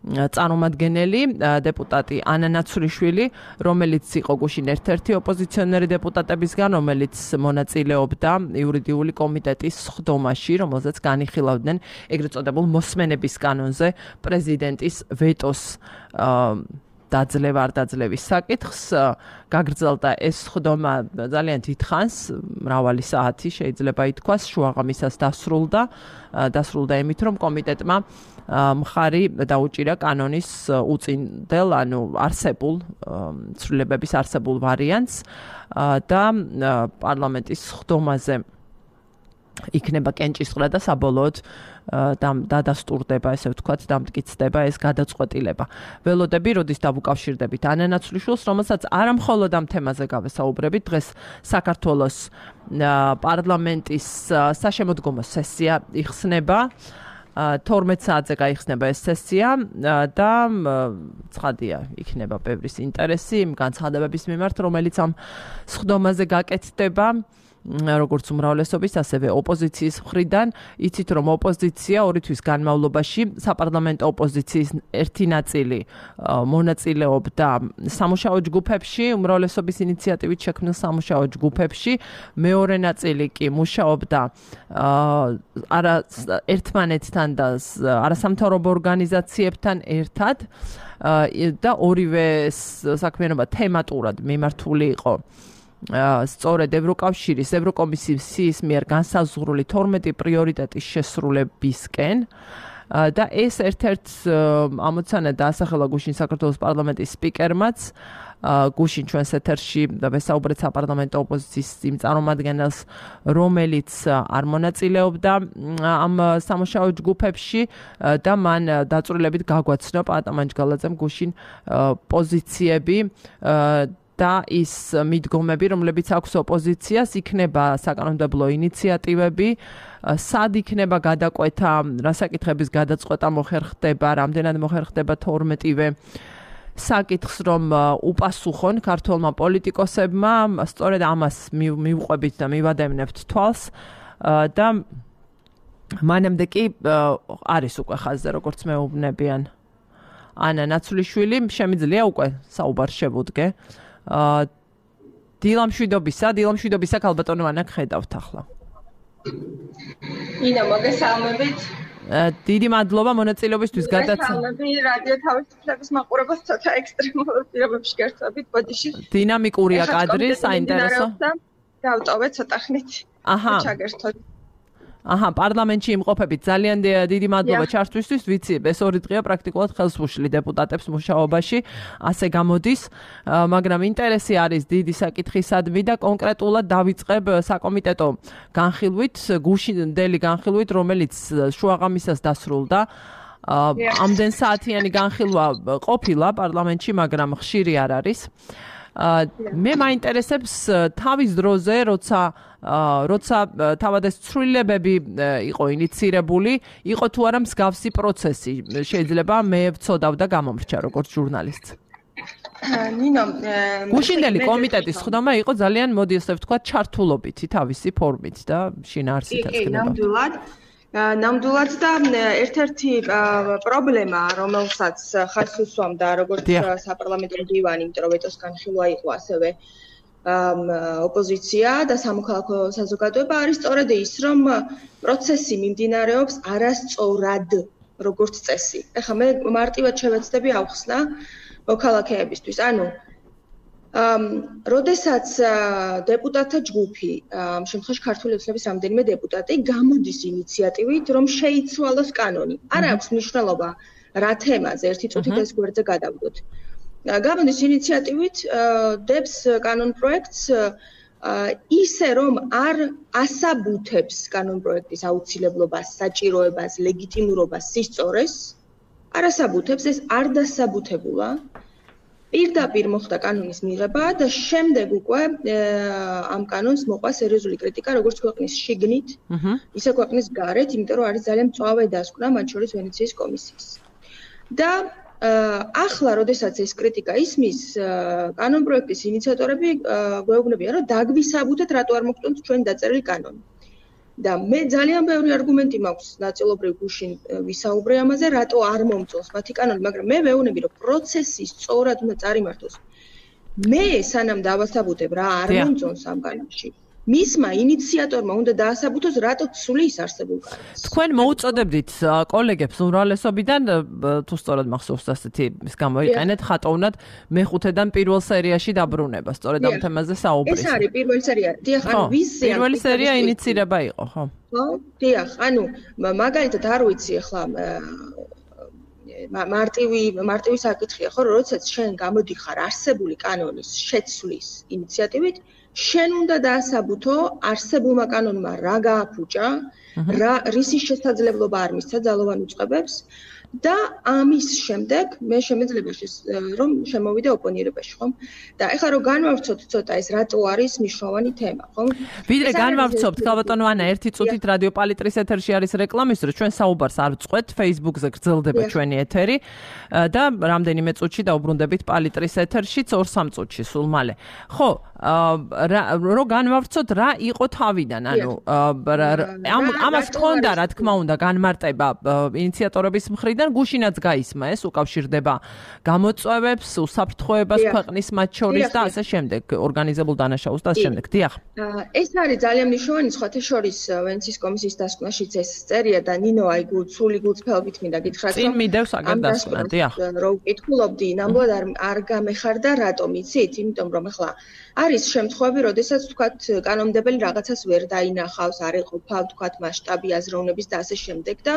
წარმომადგენელი დეპუტატი ანა ნაცვლიშვილი, რომელიც იყო გუშინ ერთ-ერთი ოპოზიციონერი დეპუტატებისგან, რომელიც მონაწილეობდა იურიდიული კომიტეტის სხდომაში, რომელზეც განიხილავდნენ ეგრეთ წოდებულ მოსმენების კანონზე პრეზიდენტის ვეტოს დაძლევა არ დაძლევის საკითხს. გაგრძელდა ეს სხდომა ძალიან დიდხანს, მრავალი საათი შეიძლება ითქვას, შუაღამისას დასრულდა. დასრულდა იმით, რომ კომიტეტმა მხარი დაუჭირა კანონის უწინდელ, ანუ არსებულ ცვლილებების არსებულ ვარიანტს და პარლამენტის სხდომაზე იქნება კენჭისყრა და საბოლოოდ დადასტურდება, ესე ვთქვათ, დამტკიცდება ეს გადაწყვეტილება. ველოდები, როდის დავუკავშირდებით ანა ნაცვლიშვილს, რომელსაც არა მხოლოდ ამ თემაზე გავესაუბრებით, დღეს საქართველოს პარლამენტის საშემოდგომო სესია იხსნება. თორმეტ საათზე გაიხსნება ეს სესია და ცხადია, იქნება ბევრის ინტერესი იმ განცხადებების მიმართ, რომელიც ამ სხდომაზე გაკეთდება. როგორც უმრავლესობის, ასევე ოპოზიციის მხრიდან. იცით, რომ ოპოზიცია ორი თვის განმავლობაში საპარლამენტო ოპოზიციის ერთი ნაწილი მონაწილეობდა სამუშაო ჯგუფებში, უმრავლესობის ინიციატივით შექმნილ სამუშაო ჯგუფებში, მეორე ნაწილი კი მუშაობდა არა ერთმანეთთან და არასამთავრობო ორგანიზაციებთან ერთად და ორივე საქმიანობა თემატურად მიმართული იყო სწორედ ევროკავშირის ევროკომისიის მიერ განსაზღვრული თორმეტი პრიორიტეტის შესრულებისკენ და ეს ერთ-ერთ ამოცანა დაასახელა გუშინ საქართველოს პარლამენტის სპიკერმაც. გუშინ ჩვენს ეთერში ვესაუბრეთ საპარლამენტო ოპოზიციის იმ წარმომადგენელს, რომელიც არ მონაწილეობდა ამ სამუშაო ჯგუფებში და მან დაწვრილებით გაგვაცნო პატამან ჯგალაძემ გუშინ პოზიციები და ის მიდგომები, რომლებიც აქვს ოპოზიციას, იქნება საკანონმდებლო ინიციატივები, სად იქნება გადაკვეთა, რა საკითხების გადაწყვეტა მოხერხდება, რამდენად მოხერხდება თორმეტივე საკითხს, რომ უპასუხონ ქართველმა პოლიტიკოსებმა, სწორედ ამას მივყვებით და მივადევნებთ თვალს და მანამდე კი არის უკვე ხაზზე, როგორც მეუბნებიან ანა ნაცვლიშვილი, შემიძლია უკვე საუბარ შევუდგე. დილამშვიდობისა, დილამშვიდობისა ქალბატონო ანა ხედავთ ახლა. ინა მოგესალმებით. დიდი მადლობა მონაწილეობისთვის გადაცემა. მოგესალმებით რადიო თავისუფლების მაყურებელს, ცოტა ექსტრემალურ პირობებში გერთვებით ბოდიში. დინამიკურია კადრი, საინტერესო. დავტოვეთ ცოტა ხნით. აჰა. ჩაგერთოთ. აჰა, პარლამენტში იმყოფებით. ძალიან დიდი მადლობა ჩართვისთვის. ვიცი, ეს ორი დღეა პრაქტიკულად ხელს უშლი დეპუტატებს მუშაობაში, ასე გამოდის, მაგრამ ინტერესი არის დიდი საკითხისადმი და კონკრეტულად დავიწყებ საკომიტეტო განხილვით, გუშინდელი განხილვით, რომელიც შუაღამისას დასრულდა. ამდენ საათიანი განხილვა ყოფილა პარლამენტში, მაგრამ ხშირი არ არის. მე მაინტერესებს თავის დროზე, როცა როცა თავად ეს ცვლილებები იყო ინიცირებული, იყო თუ არა მსგავსი პროცესი, შეიძლება მე ვცოდავ და გამომრჩა როგორც ჟურნალისტი. ნინო, გუშინდელი კომიტეტის სხდომა იყო ძალიან, მოდი ასე ვთქვა, ჩართულობითი თავისი ფორმით და შინაარსით ეცქნება. კი, ნამდვილად. ნამდვილად და ერთ-ერთი პრობლემა, რომელსაც ხაზს უსვამდა როგორც საპარლამენტო მდივანი, იმიტომ რომ ვეტოს განხილვა იყო ასევე ოპოზიცია და სამოქალაქო საზოგადოება არის სწორედ ის, რომ პროცესი მიმდინარეობს არასწორად, როგორც წესი. ეხლა მე მარტივად შევეცდები ავხსნა მოქალაქეებისთვის. ანუ ამ როდესაც დეპუტატთა ჯგუფი, ამ შემთხვევაში ქართული ოცნების რამდენიმე დეპუტატი გამოდის ინიციატივით, რომ შეიცვალოს კანონი. არ აქვს მნიშვნელობა რა თემაზე, ერთი წუთით ეს გვერდზე გადავდოთ. გამოდის ინიციატივით დებს კანონ პროექტს ისე რომ არ ასაბუთებს კანონ პროექტის აუცილებლობას, საჭიროებას, ლეგიტიმურობას, სისწორეს, არ ასაბუთებს, ეს არ დასაბუთებულა. პირდაპირ მოხდა კანონის მიღება და შემდეგ უკვე ამ კანონს მოყვა სერიოზული კრიტიკა როგორც ქვეყნის შიგნით, ისე ქვეყნის გარეთ, იმიტომ რომ არის ძალიან მწვავე დასკვნა მათ შორის ვენეციის კომისიის. და ახლა, როდესაც ეს კრიტიკა ისმის, კანონ პროექტის ინიციატორები გვეუბნებიან, რომ დაგვისაბუთეთ, რატო არ მოგწონთ ჩვენი დაწერილი კანონი. და მე ძალიან ბევრი არგუმენტი მაქვს ნაწილობრივ გუშინ ვისაუბრე ამაზე, რატო არ მომწონს მათი კანონი, მაგრამ მე ვეუბნები, რომ პროცესი სწორად უნდა წარიმართოს. მე სანამ დავასაბუთებ რა არ მომწონს ამ კანონში, მისმა ინიციატორმა უნდა დაასაბუთოს, რატო ცulis არსებულ კანონს. თქვენ მოუწოდებდით კოლეგებს უმრავლესობიდან, თუ სწორად მახსოვს ასეთი ის გამოიყენეთ, ხატოვნად მეხუთედან პირველ სერიაში დაბრუნება, სწორედ ამ თემაზე საუბრის. ეს არის პირველი სერია. დიახ, ანუ ვიზია. პირველი სერია ინიცირება იყო, ხო? ხო, დიახ, ანუ მაგალითად არ ვიცი ახლა მარტივი მარტივი საკითხია, ხო, როდესაც შენ გამოდიხარ არსებული კანონის შეცვლის ინიციატივით, შენ უნდა დაასაბუთო არსებულმა კანონმა რა გააფუჭა, რა რისი შესაძლებლობა არ მისცა ძალოვან უწყებებს და ამის შემდეგ მე შემეძლება რომ შემოვიდე ოპონირებაში, ხო? და ეხლა რომ განვავრცოთ ცოტა ეს რატო არის მნიშვნელოვანი თემა, ხო? ვიდრე განვავრცობთ, ქალბატონო ანა, ერთი წუთით რადიო პალიტრის ეთერში არის რეკლამის დრო, ჩვენ საუბარს არ ვწყვეთ, Facebook-ზე გრძელდება ჩვენი ეთერი და რამდენიმე წუთში დაუბრუნდებით პალიტრის ეთერშიც ორ სამ წუთში სულ მალე. ხო, რო განვავრცოთ რა იყო თავიდან, ანუ ამას ჰქონდა რა თქმა უნდა განმარტება ინიციატორების მხრიდან გუშინაც გაისმა ეს უკავშირდება გამოწვევებს, უსაფრთხოებას ქვეყნის მათ შორის და ასე შემდეგ, ორგანიზებულ დანაშაულს და ასე შემდეგ. დიახ. ეს არის ძალიან მნიშვნელოვანი, სხვათა შორის ვენეციის კომისიის დასკვნაშიც ეს წერია და ნინო აი გულწული გულწრფელობით მინდა გითხრათ, რომ წინ მიდევს აგერ დასკვნა, დიახ. რო ვკითხულობდი, ნამდვილად არ არ გამეხარდა რატომ იცით? იმიტომ რომ ახლა არის შემთხვევები, როდესაც თქვათ კანონმდებელი რაღაცას ვერ დაინახავს, არ ეყოფა თქვათ მასშტაბი აზროვნების და ასე შემდეგ და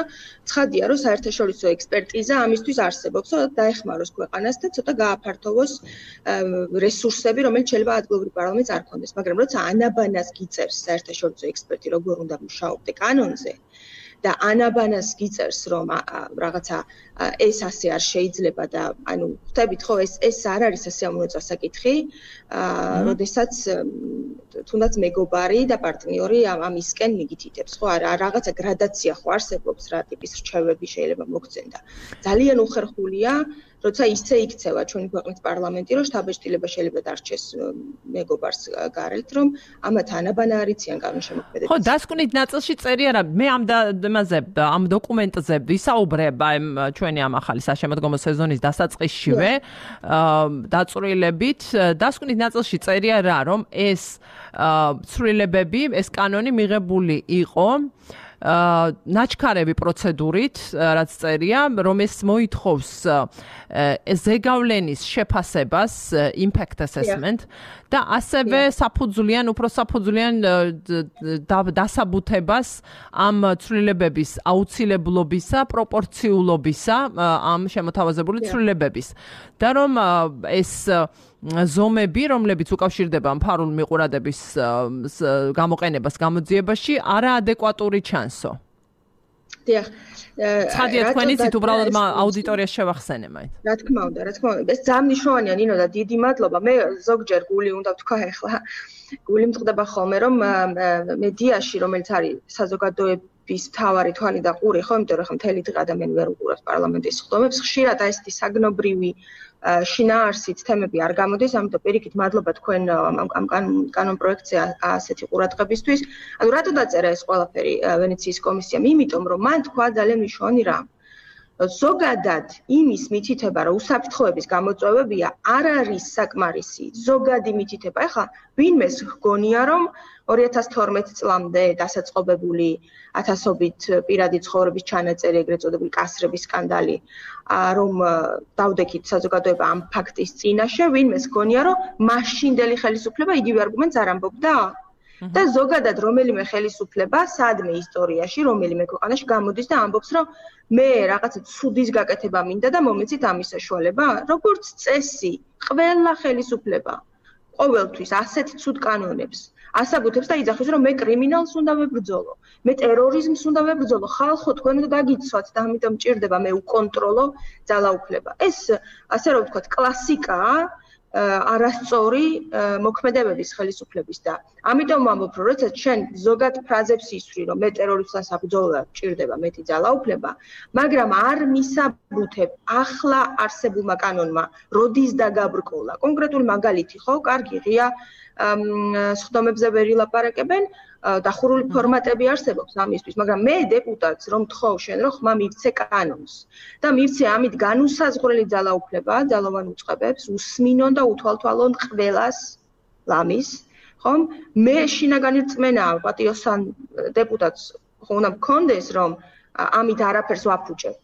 ცხადია რომ საერთაშორისო ექსპერტიზა ამისთვის არსებობს, რომ დაეხმაროს ქვეყანას და ცოტა გააფართოვოს რესურსები, რომელიც შეიძლება ადგილობრივ პარლამენტს არ ქონდეს, მაგრამ როცა ანაბანას გიწერს საერთაშორისო ექსპერტი, როგორ უნდა მუშაობდე კანონზე და ანაბანას გიწერს, რომ რაღაცა ეს ასე არ შეიძლება და ანუ ხვდებით ხო ეს ეს არ არის ასე ამოწა საკითხი, როდესაც თუნდაც მეგობარი და პარტნიორი ამისკენ მიგითითებს, ხო არა რაღაცა გრადაცია ხო არსებობს რა ტიპის რჩევები შეიძლება მოგცენ და ძალიან უხერხულია როცა ისე იქცევა ჩვენი ქვეყნის პარლამენტი, რომ შთაბეჭდილება შეიძლება დარჩეს მეგობარს გარეთ, რომ ამათ ანაბანა არიციან კანონშემოქმედებით. ხო, დასკვნით ნაწილში წერია რა, მე ამ ამაზე ამ დოკუმენტზე ვისაუბრებ ამ ჩვენი ამ ახალი საშემოდგომო სეზონის დასაწყისშივე დაწვრილებით. დასკვნით ნაწილში წერია რა, რომ ეს ცვლილებები, ეს კანონი მიღებული იყო ნაჩქარები პროცედურით, რაც წერია, რომ ეს მოითხოვს ზეგავლენის შეფასებას, impact assessment და ასევე საფუძვლიან, უფრო საფუძვლიან დასაბუთებას ამ ცვლილებების აუცილებლობისა, პროპორციულობისა ამ შემოთავაზებული ცვლილებების. და რომ ეს ზომები, რომლებიც უკავშირდება მფარულ მიყურადების გამოყენებას გამოძიებაში, არაადეკვატური ჩანსო. დიახ. ცხადია თქვენიცით უბრალოდ აუდიტორიას შევახსენე მაინც. რა თქმა უნდა, რა თქმა უნდა. ეს ძალიან მნიშვნელოვანია, ნინო და დიდი მადლობა. მე ზოგჯერ გული უნდა ვთქვა ახლა. გული მწყდება ხოლმე, რომ მედიაში, რომელიც არის საზოგადოებრივ ვის თავარი თვალი და ყური ხო, იმიტომ რომ ხა მთელი დღე ადამიანი ვერ უყურებს პარლამენტის სხდომებს, ხშირად აი ესეთი საგნობრივი შინაარსით თემები არ გამოდის, ამიტომ პირიქით მადლობა თქვენ ამ კანონ პროექტზე ასეთი ყურადღებისთვის. ანუ რატო დაწერა ეს ყველაფერი ვენეციის კომისიამ? იმიტომ რომ მან თქვა ძალიან მნიშვნელოვანი რამ. ზოგადად იმის მითითება, რომ უსაფრთხოების გამოწვევებია, არ არის საკმარისი. ზოგადი მითითება. ეხლა ვინმეს ჰგონია, რომ ორი ათას თორმეტ წლამდე დასაწყობებული ათასობით პირადი ცხოვრების ჩანაწერი, ეგრეთ წოდებული კასრების სკანდალი, რომ დავდექით საზოგადოება ამ ფაქტის წინაშე, ვინმეს ჰგონია, რომ მაშინდელი ხელისუფლება იგივე არგუმენტს არ ამბობდა? და ზოგადად რომელიმე ხელისუფლება სადმე ისტორიაში, რომელიმე ქვეყანაში გამოდის და ამბობს, რომ მე რაღაცა ცუდის გაკეთება მინდა და მომეცით ამის საშუალება, როგორც წესი, ყველა ხელისუფლება ყოველთვის ასეთ ცუდ კანონებს ასაბუთებს და იძახის, რომ მე კრიმინალს უნდა ვებრძოლო, მე ტერორიზმს უნდა ვებრძოლო, ხალხო თქვენ უნდა დაგიცვათ და ამიტომ მჭირდება მე უკონტროლო ძალაუფლება. ეს ასე რომ ვთქვათ, კლასიკაა არასწორი მოქმედებების ხელისუფლების და ამიტომ ვამბობ, რომ როდესაც შენ ზოგად ფრაზებს ისვრი, რომ მე ტერორისტას აბრძოლა მჭირდება მეტი ძალაუფლება, მაგრამ არ მისაბუთებ ახლა არსებულმა კანონმა, როდის დაგაბრკოლა. კონკრეტული მაგალითი ხო, კარგი ღია სხდომებზე ვერ ილაპარაკებენ, დახურული ფორმატები არსებობს ამისთვის, მაგრამ მე დეპუტატს რომ თხოვ შენ რომ ხმა მივცე კანონს და მივცე ამით განუსაზღვრელი ძალაუფლება ძალოვან უწყებებს, უსმინონ და უთვალთვალონ ყველას ლამის, ხომ? მე შინაგანი რწმენა პატიოსან დეპუტატს ხო უნდა მქონდეს, რომ ამით არაფერს ვაფუჭებ.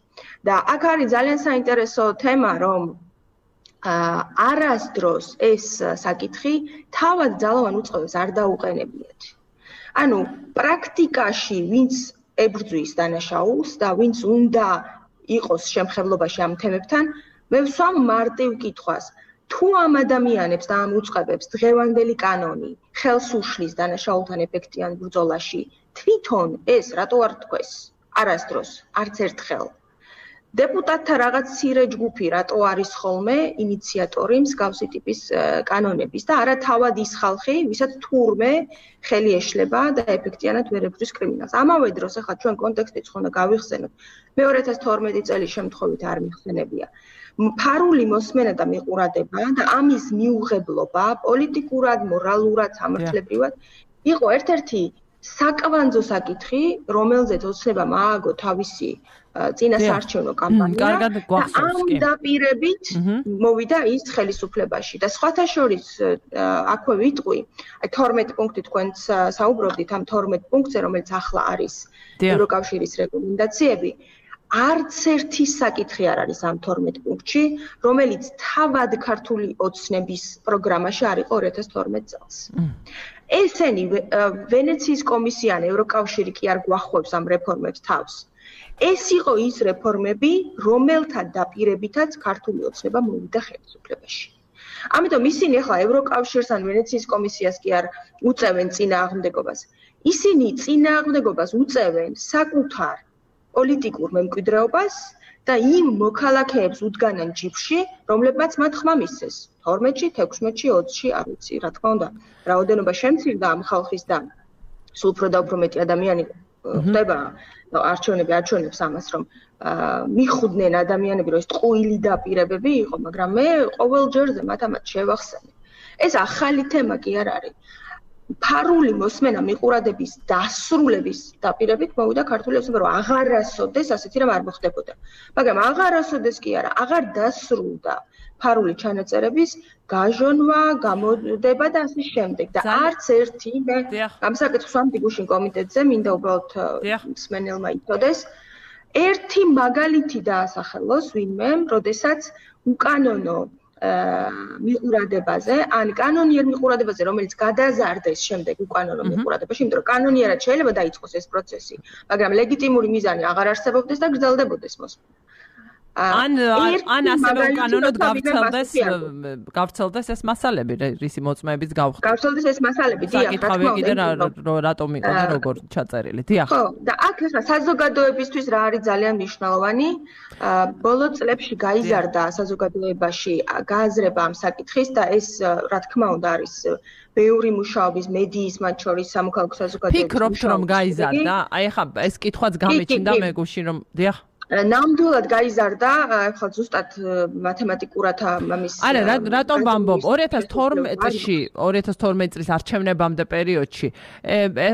და აქ არის ძალიან საინტერესო თემა, რომ არასდროს ეს საკითხი თავად ძალოვან უწყებებს არ დაუყენებიათ. ანუ პრაქტიკაში ვინც ებრძვის დანაშაულს და ვინც უნდა იყოს შემხებლობაში ამ თემებთან, მე ვსვამ მარტივ კითხვას. თუ ამ ადამიანებს და ამ უწყებებს დღევანდელი კანონი ხელს უშლის დანაშაულთან ეფექტიან ბრძოლაში, თვითონ ეს რატო არ თქვეს? არასდროს, არც ერთხელ. დეპუტატთა რაღაც მცირე ჯგუფი რატო არის ხოლმე ინიციატორი მსგავსი ტიპის კანონების და არა თავად ის ხალხი, ვისაც თურმე ხელი ეშლება და ეფექტიანად ვერ ებრძვის კრიმინალს. ამავე დროს ახლა ჩვენ კონტექსტიც ხო უნდა გავიხსენოთ. მე ორი ათას თორმეტი წლის შემთხვევით არ მიხსენებია. ფარული მოსმენა და მიყურადება და ამის მიუღებლობა პოლიტიკურად, მორალურად, სამართლებრივად იყო ერთ-ერთი საკვანძო საკითხი, რომელზეც ოცნებამ ააგო თავისი წინასაარჩევნო კამპანია და ამ დაპირებით მოვიდა ის ხელისუფლებაში და სხვათა შორის აქვე ვიტყვი, აი თორმეტ პუნქტი თქვენც საუბრობდით ამ თორმეტ პუნქტზე, რომელიც ახლა არის ევროკავშირის რეკომენდაციები, არც ერთი საკითხი არ არის ამ თორმეტ პუნქტში, რომელიც თავად ქართული ოცნების პროგრამაში არ იყო ორი ათას თორმეტ წელს. ესენი ვენეციის კომისია ან ევროკავშირი კი არ გვახვევს ამ რეფორმებს თავს. ეს იყო ის რეფორმები, რომელთა დაპირებითაც ქართული ოცნება მოვიდა ხელისუფლებაში. ამიტომ ისინი ახლა ევროკავშირს ან ვენეციის კომისიას კი არ უწევენ წინააღმდეგობას. ისინი წინააღმდეგობას უწევენ საკუთარ პოლიტიკურ მემკვიდრეობას და იმ მოქალაქეებს უდგანან ჯიბში, რომლებმაც მათ ხმა მისცეს. თორმეტში, თექვსმეტში, ოცში, არ ვიცი, რა თქმა უნდა, რაოდენობა შემცირდა ამ ხალხის და სულ უფრო და უფრო მეტი ადამიანი ხდება არჩევნები არჩევნებს ამას, რომ მიხუდნენ ადამიანები, რომ ეს ტყუილი დაპირებები იყო, მაგრამ მე ყოველ ჯერზე მათ ამათ შევახსენე. ეს ახალი თემა კი არ არის. ფარული მოსმენა მიყურადების დასრულების დაპირებით მოვიდა ქართული ოცნება, რომ აღარასოდეს ასეთი რამ არ მოხდებოდა. მაგრამ აღარასოდეს კი არა, აღარ დასრულდა ფარული ჩანაწერების გაჟონვა, გამოდება და ასე შემდეგ. და არც ერთი მე ამ საკითხს ვამბობ გუშინ კომიტეტზე, მინდა უბრალოდ მსმენელმა იცოდეს, ერთი მაგალითი დაასახელოს ვინმე, როდესაც უკანონო მიყურადებაზე, ან კანონიერ მიყურადებაზე, რომელიც გადაზარდეს შემდეგ უკანონო მიყურადებაში, იმიტომ რომ კანონიერად შეიძლება დაიწყოს ეს პროცესი, მაგრამ ლეგიტიმური მიზანი აღარ არსებობდეს და გრძელდებოდეს მოსმენა. ან ან ასევე უკანონოდ გავრცელდეს გავრცელდეს ეს მასალები, რისი მოწმეების გავხდა. გავრცელდეს ეს მასალები, დიახ, რა თქმა უნდა. კიდე რატომ იყო და როგორ ჩაწერილი, დიახ. ხო, და აქ ახლა საზოგადოებისთვის რა არის ძალიან მნიშვნელოვანი, ბოლო წლებში გაიზარდა საზოგადოებაში გააზრება ამ საკითხის და ეს რა თქმა უნდა არის ბევრი მუშაობის მედიის მათ შორის სამოქალაქო საზოგადოების ფიქრობთ რომ გაიზარდა? აი ახლა ეს კითხვაც გამიჩნდა მე გუში რომ დიახ ნამდვილად გაიზარდა, ახლა ზუსტად მათემატიკურად ამის არა, რატომ ვამბობ? ორი ათას თორმეტში, ორი ათას თორმეტი წლის არჩევნებამდე პერიოდში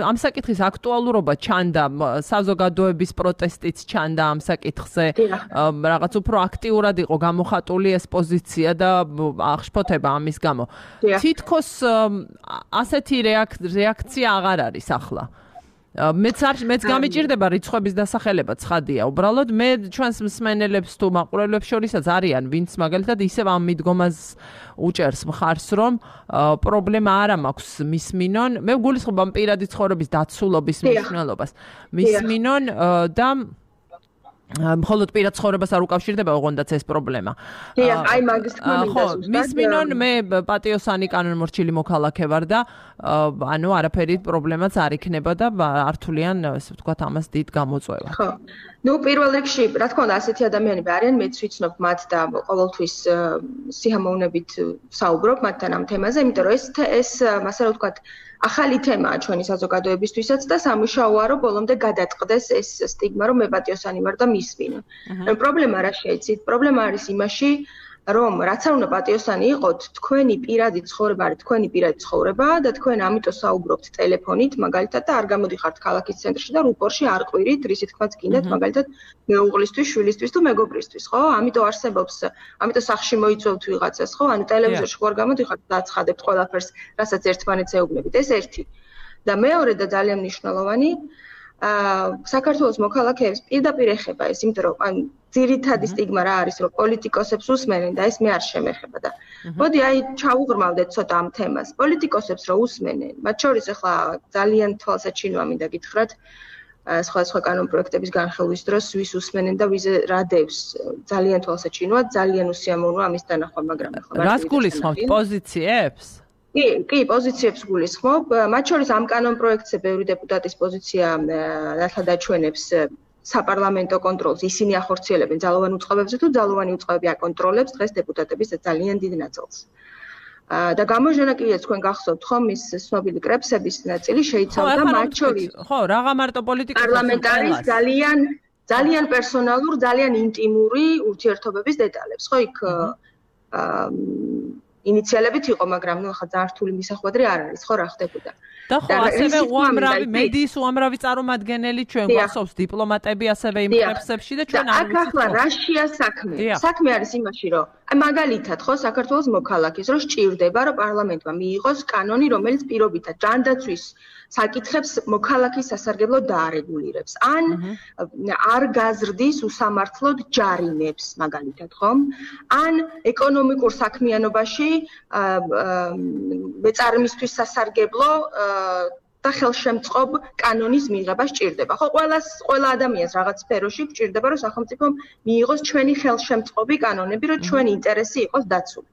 ამ საკითხის აქტუალურობა ჩანდა, საზოგადოების პროტესტიც ჩანდა ამ საკითხზე, რაღაც უფრო აქტიურად იყო გამოხატული ეს პოზიცია და აღშფოთება ამის გამო. თითქოს ასეთი რეაქცია აღარ არის ახლა. მეც მეც გამიჭირდება რიცხვების დასახელება ცხადია. უბრალოდ მე ჩვენს მსმენელებს თუ მაყურებლებს შორისაც არიან, ვინც მაგალითად ისევ ამ მიდგომას უჭერს მხარს, რომ პრობლემა არა მაქვს მისმინონ. მე გულისხმობ ამ პირადი ცხოვრების დაცულობის მნიშვნელობას. მისმინონ და მხოლოდ პირად ცხოვრებას არ უკავშირდება ოღონდაც ეს პრობლემა. დიახ, აი მაგის თქმა მინდა ზუსტად. მისმინონ მე პატიოსანი კანონმორჩილი მოქალაქე ვარ და ანუ არაფერი პრობლემაც არ იქნება და ართულიან, ასე ვთქვათ, ამას დიდ გამოწვევა. ხო. ნუ პირველ რიგში, რა თქმა უნდა, ასეთი ადამიანები არიან, მეც ვიცნობ მათ და ყოველთვის სიამოვნებით საუბრობ მათთან ამ თემაზე, იმიტომ რომ ეს ეს ასე რა ვთქვათ, ახალი თემაა ჩვენი საზოგადოებისთვისაც და სამუშაოა რომ ბოლომდე გადაწყდეს ეს სტიგმა რომ მე პატიოსანი ვარ და მისმინო. პრობლემა რა შეიცით? პრობლემა არის იმაში, რომ რაც არ უნდა პატიოსანი იყოთ, თქვენი პირადი ცხოვრება არის თქვენი პირადი ცხოვრება და თქვენ ამიტომ საუბრობთ ტელეფონით, მაგალითად და არ გამოდიხართ ქალაქის ცენტრში და რუპორში არ ყვირით, რისი თქმაც გინდათ, მაგალითად მეუღლისთვის, შვილისთვის თუ მეგობრისთვის, ხო? ამიტომ არსებობს, ამიტომ სახში მოიწვევთ ვიღაცას, ხო? ანუ ტელევიზორში ხوار გამოდიხართ და აცხადებთ ყველაფერს, რასაც ერთმანეთს ეუბნებით. ეს ერთი. და მეორე და ძალიან მნიშვნელოვანი აა საქართველოს მოქალაქეებს პირდაპირ ეხება ეს, იმიტომ რომ ან ძირითადი სტიგმა რა არის, რომ პოლიტიკოსებს უსმენენ და ეს მე არ შემეხება და მოდი აი ჩავუღრმავდეთ ცოტა ამ თემას. პოლიტიკოსებს რო უსმენენ, მათ შორის ახლა ძალიან თვალსაჩინოა მინდა გითხრათ, სხვადასხვა კანონპროექტების განხილვის დროს ვის უსმენენ და ვიზე რა დევს. ძალიან თვალსაჩინოა, ძალიან უსიამოვნოა ამის დანახვა, მაგრამ ახლა რას გულისხმობთ პოზიციებს? კი, კი, პოზიციებს გულისხმობ. მათ შორის ამ კანონპროექტზე ბევრი დეპუტატის პოზიცია ახლა დაჩვენებს საპარლამენტო კონტროლს. ისინი ახორციელებენ ძალოვან უწყებებზე თუ ძალოვანი უწყებები აკონტროლებს დღეს დეპუტატების ძალიან დიდ ნაწილს. და გამოჟენა კიდეც თქვენ გახსოვთ ხომ ის ცნობილი კრებსების ნაწილი შეიცავდა მათ შორის. ხო, რაღა მარტო პოლიტიკა პარლამენტარის ძალიან ძალიან პერსონალურ, ძალიან ინტიმური ურთიერთობების დეტალებს. ხო, იქ ინიციალებით იყო, მაგრამ ნუ ახლა ძალიან რთული მისახვედრი არ არის, ხო რა ხდებოდა. და ხო, ასევე უამრავი მედიის უამრავი წარმომადგენელი ჩვენ გვახსოვს დიპლომატები ასევე იმ კრებსებში და ჩვენ არ ვიცით. ახლა რაშია საქმე? საქმე არის იმაში, რომ აი მაგალითად ხო საქართველოს მოქალაქეს რო სჭირდება, რომ პარლამენტმა მიიღოს კანონი, რომელიც პირობითად ჯანდაცვის საკითხებს მოქალაქის სასარგებლოდ დაარეგულირებს. ან არ გაზრდის უსამართლოდ ჯარიმებს, მაგალითად, ხომ? ან ეკონომიკურ საქმიანობაში მეწარმისთვის სასარგებლო და ხელშემწყობ კანონის მიღება სჭირდება. ხო, ყველას, ყველა ადამიანს რაღაც სფეროში გვჭირდება, რომ სახელმწიფომ მიიღოს ჩვენი ხელშემწყობი კანონები, რომ ჩვენი ინტერესი იყოს დაცული.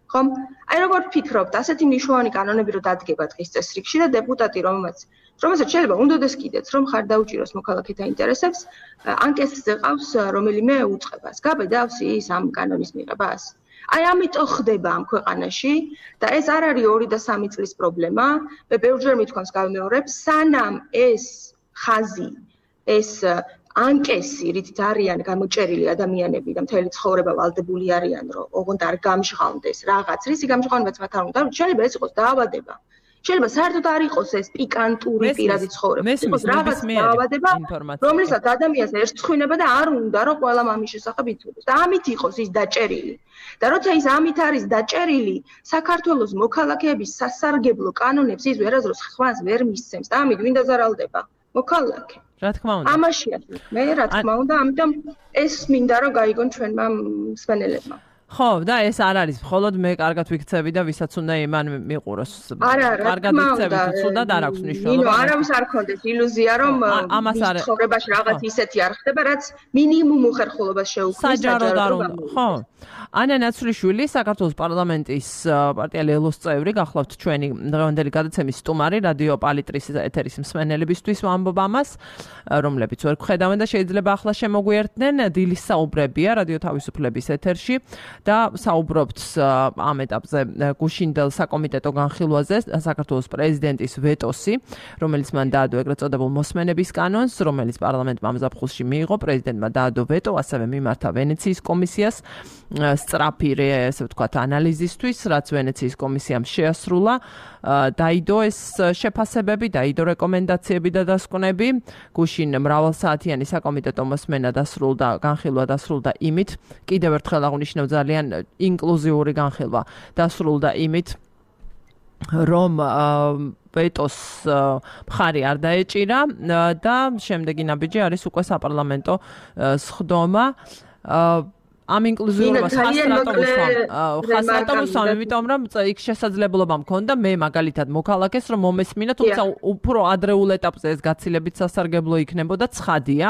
ხომ? აი როგორ ფიქრობთ, ასეთი მნიშვნელოვანი კანონები რო დადგება დღის წესრიგში და დეპუტატი რომელმაც რომელსაც შეიძლება უნდოდეს კიდეც რომ ხარ დაუჭიროს მოქალაქეთა ინტერესებს, ანკეტზე ყავს რომელიმე უწყებას. გაბედავს ის ამ კანონის მიღებას? აი ამიტომ ხდება ამ ქვეყანაში და ეს არ არის ორი და სამი წლის პრობლემა. მე ბევრჯერ მithქვამს გავიმეორებ, სანამ ეს ხაზი, ეს ანკესი, რითიც არიან გამოჭერილი ადამიანები და მთელი ცხოვრება ვალდებული არიან, რომ ოღონდ არ გამჟღავნდეს რაღაც, რისი გამჟღავნებაც მათ არ უნდა, შეიძლება ეს იყოს დაავადება. შეიძლება საერთოდ არ იყოს ეს პიკანტური პირადი ცხოვრება. იყოს რაღაც დაავადება, რომლისაც ადამიანს ერწყმინება და არ უნდა რომ ყველა მამის შესახებ იცოდეს. და ამით იყოს ის დაჭერილი. და როცა ის ამით არის დაჭერილი, საქართველოს მოქალაქეების სასარგებლო კანონებს ის ვერასდროს ხვანს ვერ მისცემს და ამით ვინ დაზარალდება? მოქალაქე. რა თქმა უნდა. ამაშია მე რა თქმა უნდა, ამიტომ ეს მინდა რომ გაიგონ ჩვენმა მსმენელებმა. ხო, და ეს არ არის, მხოლოდ მე კარგად ვიქცევი და ვისაც უნდა იმან მიყუროს. კარგად ვიქცევი თუ ცუდად არ აქვს მნიშვნელობა. ნინო, არავის არ ქონდეს ილუზია, რომ ამას არ ცხოვრებაში რაღაც ისეთი არ ხდება, რაც მინიმუმ უხერხულობას შეუქმნის საჯაროდ არ უნდა. ხო. ანა ნაცვლიშვილი, საქართველოს პარლამენტის პარტია ლელოს წევრი, გახლავთ ჩვენი დღევანდელი გადაცემის სტუმარი, რადიო პალიტრის ეთერის მსმენელებისთვის ვამბობ ამას, რომლებიც ვერ გხედავენ და შეიძლება ახლა შემოგვიერთდნენ. დილის საუბრებია რადიო თავისუფლების ეთერში და საუბრობთ ამ ეტაპზე გუშინდელ საკომიტეტო განხილვაზე საქართველოს პრეზიდენტის ვეტოსი, რომელიც მან დაადო ეგრეთ წოდებულ მოსმენების კანონს, რომელიც პარლამენტმა ამ ზაფხულში მიიღო, პრეზიდენტმა დაადო ვეტო, ასევე მიმართა ვენეციის კომისიას სწრაფი, ესე ვთქვათ, ანალიზისთვის, რაც ვენეციის კომისიამ შეასრულა. დაიდო ეს შეფასებები, დაიდო რეკომენდაციები და დასკვნები. გუშინ მრავალსაათიანი საკომიტეტო მოსმენა დასრულდა, განხილვა დასრულდა იმით, კიდევ ერთხელ აღნიშნავ, ძალიან ინკლუზიური განხილვა დასრულდა იმით, რომ ვეტოს მხარი არ დაეჭირა და შემდეგი ნაბიჯი არის უკვე საპარლამენტო სხდომა. ამ ინკლუზიურობას ხასრატომ უსვამ, იმიტომ რომ იქ შესაძლებლობა მქონდა მე მაგალითად მოქალაქეს რომ მომესმინა, თუმცა უფრო ადრეულ ეტაპზე ეს გაცილებით სასარგებლო იქნებოდა, ცხადია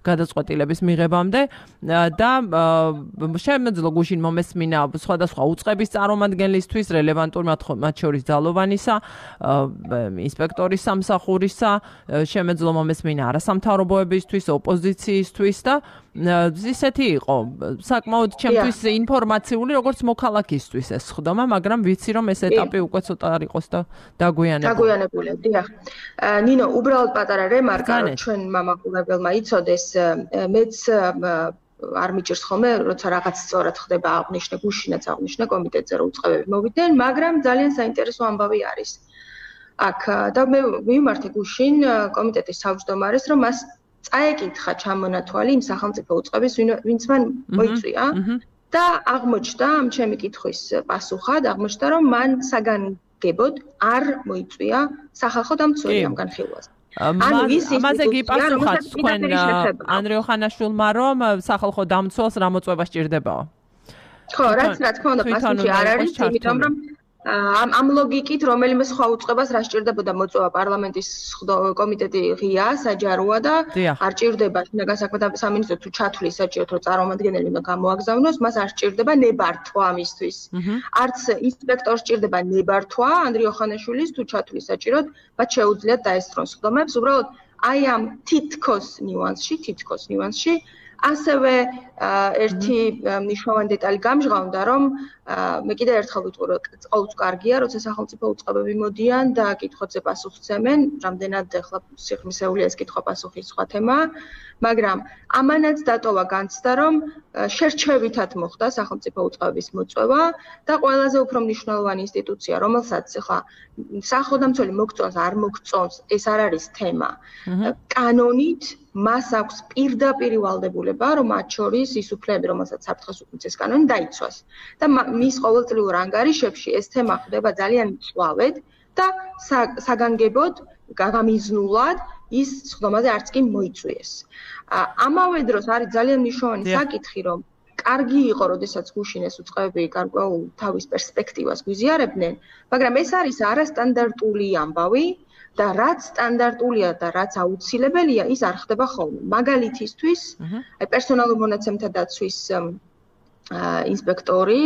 გადაწყვეტილების მიღებამდე და შემეძლო გუშინ მომესმინა სხვადასხვა უწყების წარმომადგენლისთვის, რელევანტურ მათ შორის ძალოვანისა, ინსპექტორის სამსახურისა, შემეძლო მომესმინა არასამთავრობოებისთვის, ოპოზიციისთვის და ისეთი იყო საკმაოდ ჩემთვის ინფორმაციული, როგორც მოქალაქისთვის ეს ხდომა, მაგრამ ვიცი რომ ეს ეტაპი უკვე ცოტა არ იყოს და დაგვიანებული. დაგვიანებული, დიახ. ნინო, უბრალოდ პატარა რემარკა, რომ ჩვენ მამაყურებელმა იცოდეს, მეც არ მიჭირს ხოლმე, როცა რაღაც სწორად ხდება აღნიშნე, გუშინაც აღნიშნე კომიტეტზე რომ უწყებები მოვიდნენ, მაგრამ ძალიან საინტერესო ამბავი არის. აქ და მე ვიმართე გუშინ კომიტეტის თავმჯდომარეს, რომ მას წაეკითხა ჩამონათვალი იმ სახელმწიფო უწყების, ვინც მან მოიწვია და აღმოჩნდა ამ ჩემი კითხვის პასუხად, აღმოჩნდა რომ მან საგანგებოდ არ მოიწვია სახალხო დამცველი ამ განხილვაზე. ამაზე გიპასუხათ თქვენ ანდრიო ხანაშვილმა, რომ სახალხო დამცველს რა მოწვევა სჭირდებაო? ხო, რაც რა თქმა უნდა პასუხი არ არის, იმიტომ რომ ამ ამ ლოგიკით რომელიმე სხვა უწყებას რა სჭირდებოდა მოწვევა, პარლამენტის კომიტეტი ღია, საჯაროა და არ ჭირდება შინაგან საქმეთა სამინისტრო თუ ჩათვლის საჭიროდ რომ წარმომადგენელი უნდა გამოაგზავნოს, მას არ სჭირდება ნებართვა ამისთვის. არც ინსპექტორს სჭირდება ნებართვა ანდრიო ხანაშვილის თუ ჩათვლის საჭიროდ, მათ შეუძლიათ დაესწრონ სხდომებს, უბრალოდ აი ამ თითქოს ნიუანსში, თითქოს ნიუანსში ასევე ერთი მნიშვნელოვანი დეტალი გამჟღავნდა, რომ მე კიდევ ერთხელ ვიტყვი, რომ ყოველთვის კარგია, როცა სახელმწიფო უწყებები მოდიან და კითხვებზე პასუხს ცემენ, რამდენად ახლა სიხმისეულია ეს კითხვა-პასუხის სხვა თემაა, მაგრამ ამანაც დატოვა განცდა, რომ შერჩევითად მოხდა სახელმწიფო უწყებების მოწვევა და ყველაზე უფრო მნიშვნელოვანი ინსტიტუცია, რომელსაც ახლა სახელმწიფო მოგწონს, არ მოგწონს, ეს არ არის თემა. კანონით მას აქვს პირდაპირი ვალდებულება, რომ მათ შორის ის უფლებები, რომელსაც საფრთხეს უქმნის კანონი დაიცვას. და მის ყოველწლიურ ანგარიშებში ეს თემა ხდება ძალიან მწვავედ და საგანგებოდ გამიზნულად ის სხდომაზე არც კი მოიწვიეს. ამავე დროს არის ძალიან მნიშვნელოვანი საკითხი, რომ კარგი იყო, როდესაც გუშინ ეს უწყებები გარკვეულ თავის პერსპექტივას გვიზიარებდნენ, მაგრამ ეს არის არასტანდარტული ამბავი და რაც სტანდარტულია და რაც აუცილებელია, ის არ ხდება ხოლმე. მაგალითისთვის, აი პერსონალურ მონაცემთა დაცვის ინსპექტორი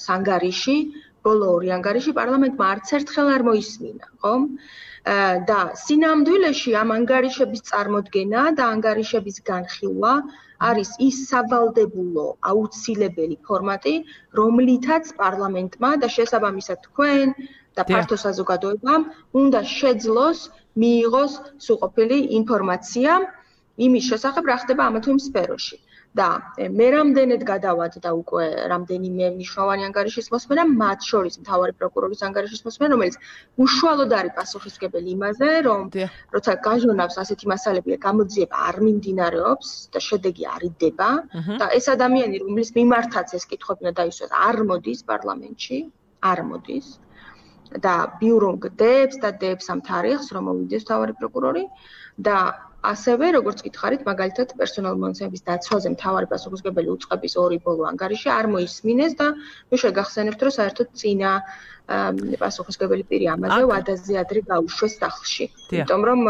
სანგარიში, ბოლო ორი ანგარიში პარლამენტმა არც ერთხელ არ მოისმინა, ხო? და სინამდვილეში ამ ანგარიშების წარმოდგენა და ანგარიშების განხილვა არის ის სავალდებულო აუცილებელი ფორმატი, რომლითაც პარლამენტმა და შესაბამისად თქვენ და ფართო საზოგადოებამ უნდა შეძლოს მიიღოს სრულყოფილი ინფორმაცია იმის შესახებ, რა ხდება ამა თუ იმ სფეროში. და მე რამდენად გადავადდა უკვე რამდენიმე მნიშვნელოვანი ანგარიშის მოსმენა, მათ შორის მთავარი პროკურორის ანგარიშის მოსმენა, რომელიც უშუალოდ არის პასუხისმგებელი იმაზე, რომ როცა გაჟონავს ასეთი მასალები, გამოძიება არ მიმდინარეობს და შედეგი არ იდება და ეს ადამიანი, რომლის მიმართაც ეს კითხვები უნდა დაისვას, არ მოდის პარლამენტში, არ მოდის და ბიურო გდებს და დებს ამ თარიღს, რომ მოვიდეს მთავარი პროკურორი და ასევე როგორც გითხარით, მაგალითად პერსონალური მონაცემების დაცვაზე მთავარი პასუხისმგებელი უწყების ორი ბოლო ანგარიში არ მოისმინეს და ნუ შეგახსენებთ, რომ საერთოდ წინა პასუხისმგებელი პირი ამაზე ვადაზე ადრე გაუშვეს სახლში. იმიტომ რომ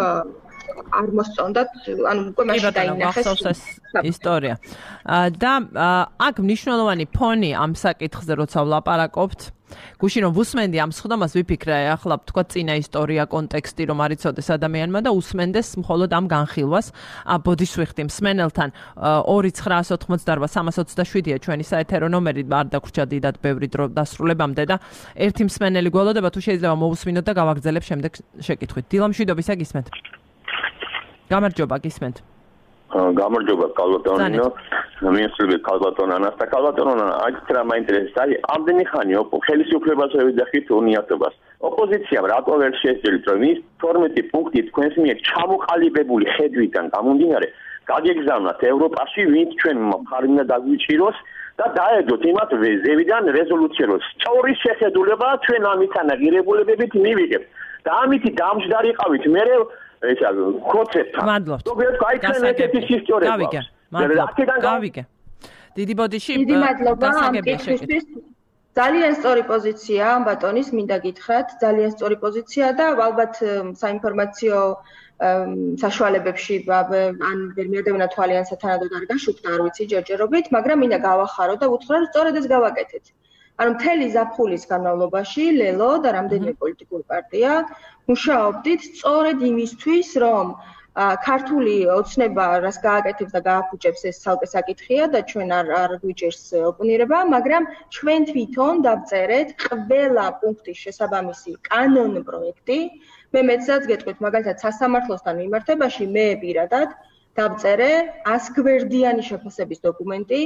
არ მოსწონდათ, ანუ უკვე მაშინ დაინახეს ისტორია. და აქ მნიშვნელოვანი ფონი ამ საკითხზე როცა ვლაპარაკობთ, გუშინ რომ ვუსმენდი ამ სხდომას ვიფიქრე, ახლა თქვა წინა ისტორია, კონტექსტი რომ არ იცოდეს ადამიანმა და უსმენდეს მხოლოდ ამ განხილვას. ბოდიშ ვიხდი მსმენელთან ორი ცხრაას ოთხმოცდაარბა სამას ოცდაშვიდია ჩვენი საეთერო ნომერი, არ დაგვრჩა დიდად ბევრი დრო დასრულებამდე და ერთი მსმენელი გველოდება, თუ შეიძლება მოვუსმინოთ და გავაგრძელებ შემდეგ შეკითხვით. დილამშვიდობისა გისმენთ. გამარჯობა, გისმენთ. გამარჯობა, კალბატონო. მიესწრები კალბატონ ანას და კალბატონ ანა, აქ რა მაინტერესებს, აი, ამდენი ხანი ხელისუფლებას ვეძახით უნიატობას. ოპოზიციამ რატო ვერ შეეძლოთ, რომ ის თორმეტი პუნქტი თქვენს მიერ ჩამოყალიბებული ხედვიდან გამომდინარე, გაგეგზავნათ ევროპაში, ვინც ჩვენ მხარი უნდა დაგვიჭიროს და დაედოთ იმათ ზევიდან რეზოლუცია, რომ სწორის შეხედულება ჩვენ ამით ანაღირებულებებით მივიღებთ. და ამითი დამჯდარიყავით მე ესა კონცეფტა. მადლობთ. ზოგიერთ აი ჩვენ ეთიკის ისტორია. გავიგე. მადლობა. გავიგე. დიდი ბოდიში დიდი მადლობა ამ კითხვისთვის. ძალიან სწორი პოზიცია ამ ბატონის, მინდა გითხრათ, ძალიან სწორი პოზიცია და ალბათ საინფორმაციო საშუალებებში ან ვერ მიადევნა თვალიანსა თანადოდ არ გაშუქდა, არ ვიცი ჯერჯერობით, მაგრამ მინდა გავახარო და უთხრა, რომ სწორედ ეს გავაკეთეთ. ანუ მთელი ზაფხულის განმავლობაში ლელო და რამდენიმე პოლიტიკური პარტია მუშაობდით სწორედ იმისთვის, რომ ქართული ოცნება რას გააკეთებს და გააფუჭებს ეს ცალკე საკითხია და ჩვენ არ არ გვიჭერს ოპონირება, მაგრამ ჩვენ თვითონ დავწერეთ ყველა პუნქტის შესაბამისი კანონ პროექტი. მე მეცაც გეტყვით, მაგალითად სასამართლოსთან მიმართებაში მე პირადად დავწერე ას გვერდიანი შეფასების დოკუმენტი,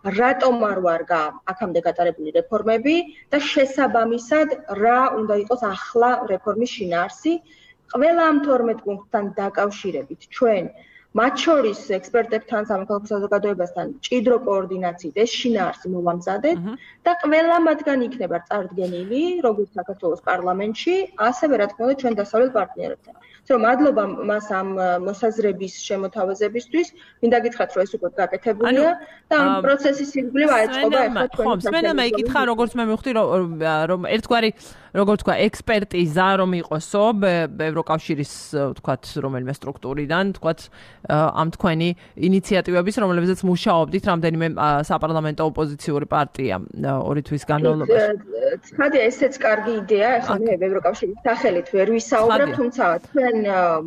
რატომ არ ვარგა აქამდე გატარებული რეფორმები და შესაბამისად რა უნდა იყოს ახლა რეფორმის შინაარსი. ყველა ამ თორმეტ პუნქტთან დაკავშირებით ჩვენ მათ შორის ექსპერტებთან, სამოქალაქო საზოგადოებასთან ჭიდრო კოორდინაციით ეს შინაარსი მოვამზადეთ და ყველა მათგან იქნება წარდგენილი როგორც საქართველოს პარლამენტში, ასევე რა თქმა უნდა ჩვენ დასავლელ პარტნიორებთან. So, მადლობა მას ამ მოსაზრების შემოთავაზებისთვის. მინდა გითხრათ, რომ ეს უკვე გაკეთებულია და ამ პროცესის ირგვლივ აეწყობა ახლა თქვენი. ხო, მსმენელმა იკითხა, როგორც მე მივხვდი, რომ ერთგვარი, როგორ თქვა, ექსპერტიზა რომ იყოსო ევროკავშირის, თქვათ, რომელიმე სტრუქტურიდან, თქვათ, ამ თქვენი ინიციატივების, რომლებზეც მუშაობდით რამდენიმე საპარლამენტო ოპოზიციური პარტია ორი თვის განმავლობაში. ცხადია, ესეც კარგი იდეა, ახლა მე ევროკავშირის სახელით ვერ ვისაუბრებ, თუმცა ჩვენ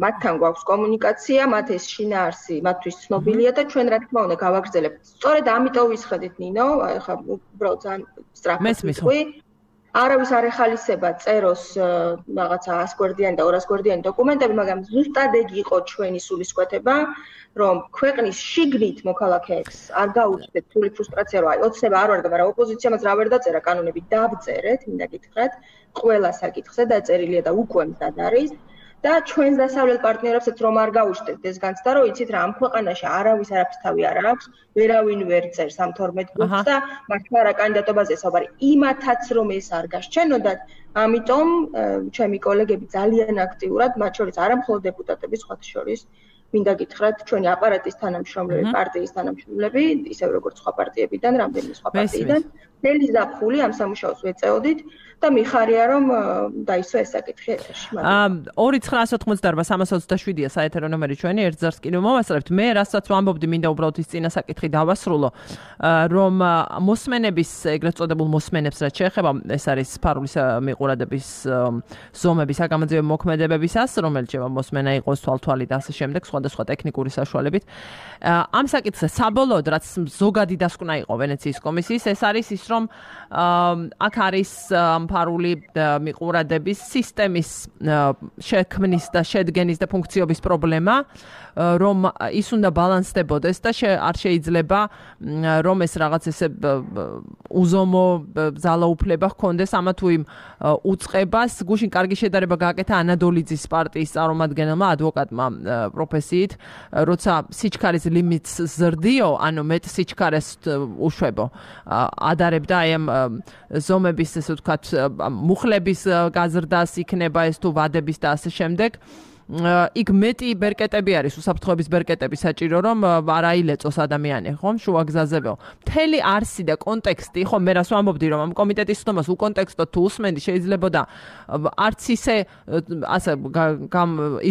მათთან გვაქვს კომუნიკაცია, მათ ეს შინაარსი მათთვის ცნობილია და ჩვენ რა თქმა უნდა გავაგრძელებთ. სწორედ ამიტომ ვისხედით ნინო, ახლა უბრალოდ ძალიან სწრაფად ვიტყვი. არავის არ ეხალისება წეროს რაღაცა ას გვერდიანი და ორას გვერდიანი დოკუმენტები, მაგრამ ზუსტად ეგ იყო ჩვენი სულისკვეთება, რომ ქვეყნის შიგნით მოქალაქეებს არ გაუჩნდეთ თული ფრუსტრაცია, რომ აი ოცნება არ ვარგა, მაგრამ ოპოზიციამაც რა ვერ დაწერა კანონები დავწერეთ, მინდა გითხრათ, ყველა საკითხზე დაწერილია და უკვე მზად არის. და ჩვენს დასავლელ პარტნიორებსაც რომ არ გაუჩნდეთ ეს განცდა, რომ იცით რა ამ ქვეყანაში არავის არაფრის თავი არ აქვს, ვერავინ ვერ წერს ამ თორმეტ პუნქტს და მართლა რა კანდიდატობაზე საუბარი. იმათაც რომ ეს არ გასჩენოდათ, ამიტომ ჩემი კოლეგები ძალიან აქტიურად, მათ შორის არა მხოლოდ დეპუტატები, სხვათა შორის მინდა გითხრათ, ჩვენი აპარატის თანამშრომლები, პარტიის თანამშრომლები, ისევ როგორც სხვა პარტიებიდან, რამდენიმე სხვა პარტიიდან, მთელი ზაფხული ამ სამუშაოს ვეწეოდით და მიხარია რომ დაისვა ეს საკითხი ეთერში. ორი ცხრაას ოთხმოცდაარბა სამას ოცდაშვიდია საეთერო ნომერი ჩვენი, ერთ ზარს კიდევ მოვასწრებთ. მე რასაც ვამბობდი, მინდა უბრალოდ ის წინა საკითხი დავასრულო, რომ მოსმენების, ეგრეთ წოდებულ მოსმენებს რაც შეეხება, ეს არის სფარული მიყურადების ზომები, საგამოძიებო მოქმედებებისას, რომელიც შევა მოსმენა იყოს თვალთვალი და ასე შემდეგ, სხვადასხვა ტექნიკური საშუალებით. ამ საკითხზე საბოლოოდ რაც ზოგადი დასკვნა იყო ვენეციის კომისიის, ეს არის ის, რომ აქ არის ფარული მიყურადების სისტემის შექმნის და შედგენის და ფუნქციობის პრობლემა, რომ ის უნდა ბალანსდებოდეს და არ შეიძლება რომ ეს რაღაც ესე უზომო ძალაუფლება ჰქონდეს ამა თუ იმ უწყებას. გუშინ კარგი შედარება გააკეთა ანადოლიძის პარტიის წარმომადგენელმა ადვოკატმა პროფესიით, როცა სიჩქარის limits ზრდიო, ანუ მეტ სიჩქარეს უშვებო ადარებდა აი ამ ზომების, ესე ვთქვათ, მუხლების გაზრდას იქნება ეს თუ ვადების და ასე შემდეგ. იქ მეტი ბერკეტები არის, უსაფრთხოების ბერკეტები საჭირო, რომ არ აილეწოს ადამიანი, ხომ, შუაგზაზეო. მთელი არსი და კონტექსტი, ხო, მე რას ვამბობდი, რომ ამ კომიტეტის ხდომას უკონტექსტოდ თუ უსმენდი, შეიძლება და არც ისე ასე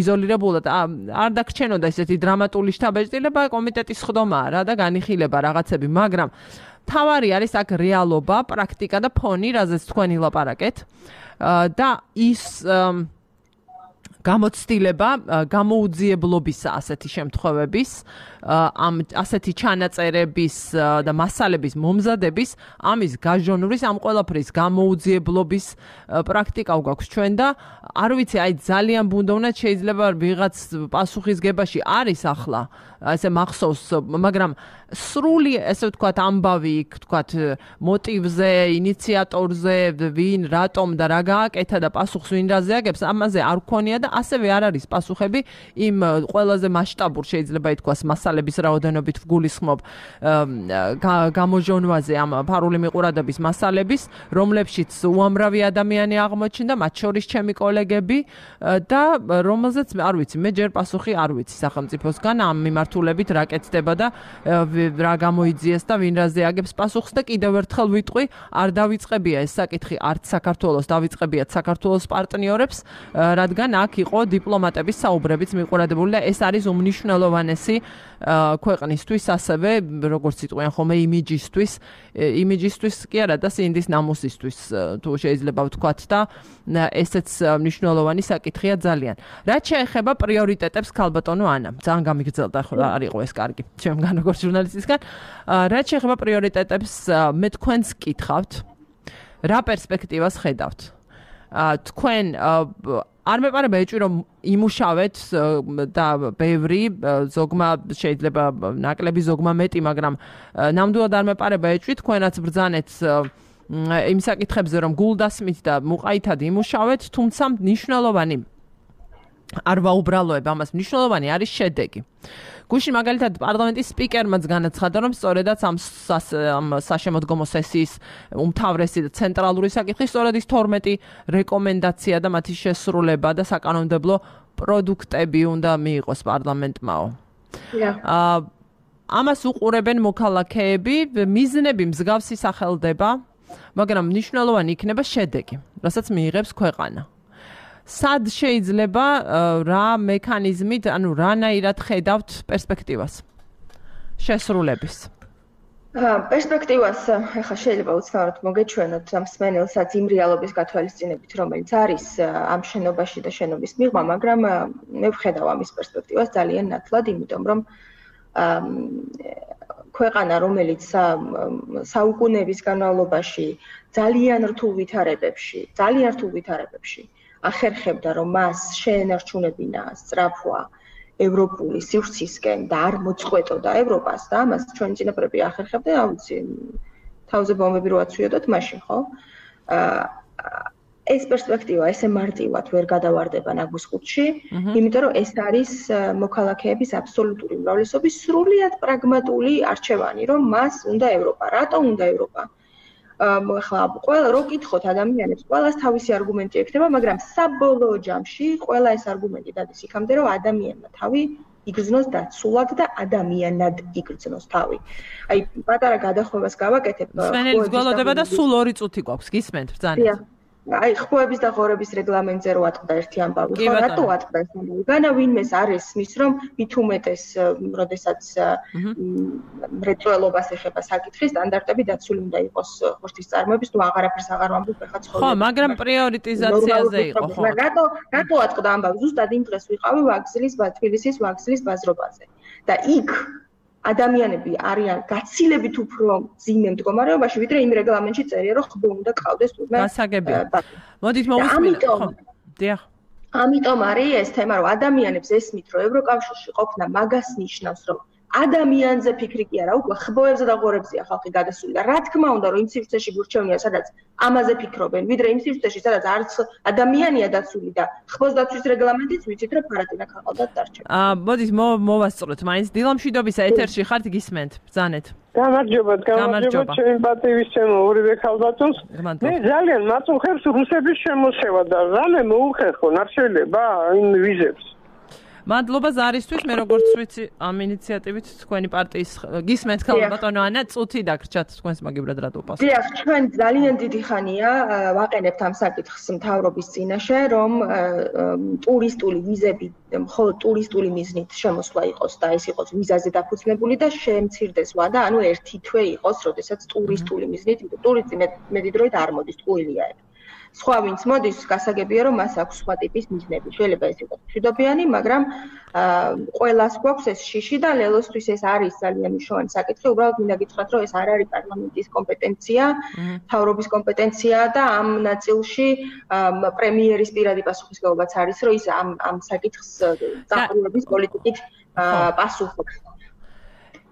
იზოლირებულად არ დაგრჩენოდა ისეთი დრამატული შთაბეჭდილება, კომიტეტის ხდომაა რა და განიხილება რაღაცები, მაგრამ თავარი არის აქ რეალობა, პრაქტიკა და ფონი, რაზეც თქვენ ილაპარაკეთ და ის გამოცდილება გამოუძიებლობისა ასეთი შემთხვევების ამ ასეთი ჩანაწერების და მასალების მომზადების ამის გაჟონვრის ამ ყველაფრის გამოუძიებლობის პრაქტიკა გვაქვს ჩვენ და არ ვიცი აი ძალიან ბუნდოვნად შეიძლება ვიღაც პასუხისგებაში არის ახლა ესე მახსოვს მაგრამ სრული ესე ვთქვათ ამბავი იქ ვთქვათ მოტივზე ინიციატორზე ვინ რატომ და რა გააკეთა და პასუხს ვინ რაზე აგებს ამაზე არ გქონია და ასევე არ არის პასუხები იმ ყველაზე მასშტაბურ შეიძლება ითქვას მასალების რაოდენობით ვგულისხმობ გამოჟონვაზე ამ ფარული მიყურადობის მასალების რომლებშიც უამრავი ადამიანი აღმოჩნდა მათ შორის ჩემი კოლეგები და რომელზეც არ ვიცი მე ჯერ პასუხი არ ვიცი სახელმწიფოსგან ამ მიმართულებით რა კეთდება და რა გამოიძიეს და ვინ რაზე აგებს პასუხს და კიდევ ერთხელ ვიტყვი არ დავიწყებია ეს საკითხი არც საქართველოს დავიწყებიათ საქართველოს პარტნიორებს რადგან აქ იყო დიპლომატების საუბრებიც მიყურადებული და ეს არის უმნიშვნელოვანესი ქვეყნისთვის ასევე როგორც იტყვიან ხოლმე იმიჯისთვის იმიჯისთვის კი არა და სინდის ნამუსისთვის თუ შეიძლება ვთქვათ და ესეც მნიშვნელოვანი საკითხია ძალიან რაც შეეხება პრიორიტეტებს ქალბატონო ანა ძალიან გამიგრძელდა ახლა არ იყო ეს კარგი ჩემგან როგორც ჟურნალისტისგან რაც შეეხება პრიორიტეტებს მე თქვენს კითხავთ რა პერსპექტივას ხედავთ თქვენ არ მეპარება ეჭვი რომ იმუშავეთ და ბევრი ზოგმა შეიძლება ნაკლები ზოგმა მეტი მაგრამ ნამდვილად არ მეპარება ეჭვი თქვენაც ბრძანეთ იმ საკითხებზე რომ გულდასმით და მუყაითად იმუშავეთ თუმცა მნიშვნელოვანი არ ვაუბრალოებ ამას მნიშვნელოვანი არის შედეგი გუშინ მაგალითად პარლამენტის სპიკერმაც განაცხადა რომ სწორედაც ამ საშემოდგომო სესიის უმთავრესი და ცენტრალური საკითხი სწორედ ის თორმეტი რეკომენდაცია და მათი შესრულება და საკანონმდებლო პროდუქტები უნდა მიიღოს პარლამენტმაო. აა ამას უყურებენ მოქალაქეები, მიზნები მსგავსი სახელდება, მაგრამ მნიშვნელოვანი იქნება შედეგი, რასაც მიიღებს ქვეყანა. სად შეიძლება რა მექანიზმით, ანუ რანაირად ხედავთ პერსპექტივას შესრულების? პერსპექტივას ახლა შეიძლება უცნაურად მოგეჩვენოთ ამ მსმენელსაც იმ რეალობის გათვალისწინებით, რომელიც არის ამ შენობაში და შენობის მიღმა, მაგრამ მე ვხედავ ამის პერსპექტივას ძალიან ნათლად, იმიტომ რომ ქვეყანა, რომელიც საუკუნეების განმავლობაში ძალიან რთულ ვითარებებში, ძალიან რთულ ვითარებებში ახერხებდა რომ მას შეენარჩუნებინა სწრაფვა ევროპული სივრცისკენ და არ მოწყვეტოდა ევროპას და ამას ჩვენი წინაპრები ახერხებდნენ, აუცი თავზე ბომბები რო აცვიოდოთ მაშინ, ხო? ეს პერსპექტივა ესე მარტივად ვერ გადავარდება ნაგვის ყუთში, იმიტომ რომ ეს არის მოქალაქეების აბსოლუტური უმრავლესობის სრულიად პრაგმატული არჩევანი, რომ მას უნდა ევროპა. რატომ უნდა ევროპა? ახლა ყველა რო კითხოთ ადამიანებს, ყველას თავისი არგუმენტი ექნება, მაგრამ საბოლოო ჯამში ყველა ეს არგუმენტი დადის იქამდე, რომ ადამიანმა თავი იგრძნოს დაცულად და ადამიანად იგრძნოს თავი. აი, პატარა გადახვევას გავაკეთებ. სვენელის გველოდება და სულ ორი წუთი გვაქვს, გისმენთ, ბრძანეთ. აი, ხმების და ღორების რეგლამენტზე რო ატყდა ერთი ამბავი, ხო, რატო ატყდა ეს ამბავი? განა ვინმეს არ ესმის, რომ მით უმეტეს, როდესაც მრეწველობას ეხება საკითხი, სტანდარტები დაცული უნდა იყოს ხორცის წარმოების, თუ აღარაფერს აღარ ვამბობ, ეხლა ცხოვრება. ხო, მაგრამ პრიორიტიზაციაზე იყო, ხო. რატო, რატო ატყდა ამბავი? ზუსტად იმ დღეს ვიყავი ვაგზლის, თბილისის ვაგზლის ბაზრობაზე. და იქ ადამიანები არიან გაცილებით უფრო ძიმე მდგომარეობაში, ვიდრე იმ რეგლამენტში წერია, რომ ხბო უნდა ყავდეს თურმე. გასაგებია. მოდით მოვისმინოთ, ხო. დიახ. ამიტომ არის ეს თემა, რომ ადამიანებს ესმით, რომ ევროკავშირში ყოფნა მაგას ნიშნავს, რომ ადამიანზე ფიქრი კი არა, უკვე ხბოებზე და ღორებზეა ხალხი გადასული და რა თქმა უნდა, რომ იმ სივრცეში გურჩევნია, სადაც ამაზე ფიქრობენ, ვიდრე იმ სივრცეში, სადაც არც ადამიანია დაცული და ხბოს დაცვის რეგლამენტიც ვიცით, რომ ფარატინა ქაღალდად დარჩება. აა, მოდით მოვასწროთ, მაინც დილამშვიდობის ეთერში ხართ, გისმენთ, ბრძანეთ. გამარჯობათ, გამარჯობათ, ჩემი პატივისცემო ორივე ქალბატონს. მე ძალიან მაწუხებს რუსების შემოსევა და რამე მოუხერხონ, არ შეიძლება იმ ვიზებს. მადლობა ზარისთვის, მე როგორც ვიცი, ამ ინიციატივით თქვენი პარტიის გისმენთ ქალბატონო ანა, წუთი დაგრჩათ თქვენს მაგიბრად რატო პასუხი. დიახ, ჩვენ ძალიან დიდი ხანია ვაყენებთ ამ საკითხს მთავრობის წინაშე, რომ ტურისტული ვიზები მხოლოდ ტურისტული მიზნით შემოსვლა იყოს და ეს იყოს ვიზაზე დაფუძნებული და შემცირდეს ვადა, ანუ ერთი თვე იყოს, როდესაც ტურისტული მიზნით, ტურისტი მეტი დროით არ მოდის, ტყუილია ეგ. სხვა ვინც მოდის, გასაგებია რომ მას აქვს სხვა ტიპის მიზნები. შეიძლება ეს იყოს მშვიდობიანი, მაგრამ ყველას გვაქვს ეს შიში და ლელოსთვის ეს არის ძალიან მნიშვნელოვანი საკითხი. უბრალოდ მინდა გითხრათ, რომ ეს არ არის პარლამენტის კომპეტენცია, მთავრობის კომპეტენცია და ამ ნაწილში პრემიერის პირადი პასუხისმგებლობაც არის, რომ ის ამ ამ საკითხს დაყრდნობის პოლიტიკით პასუხობს.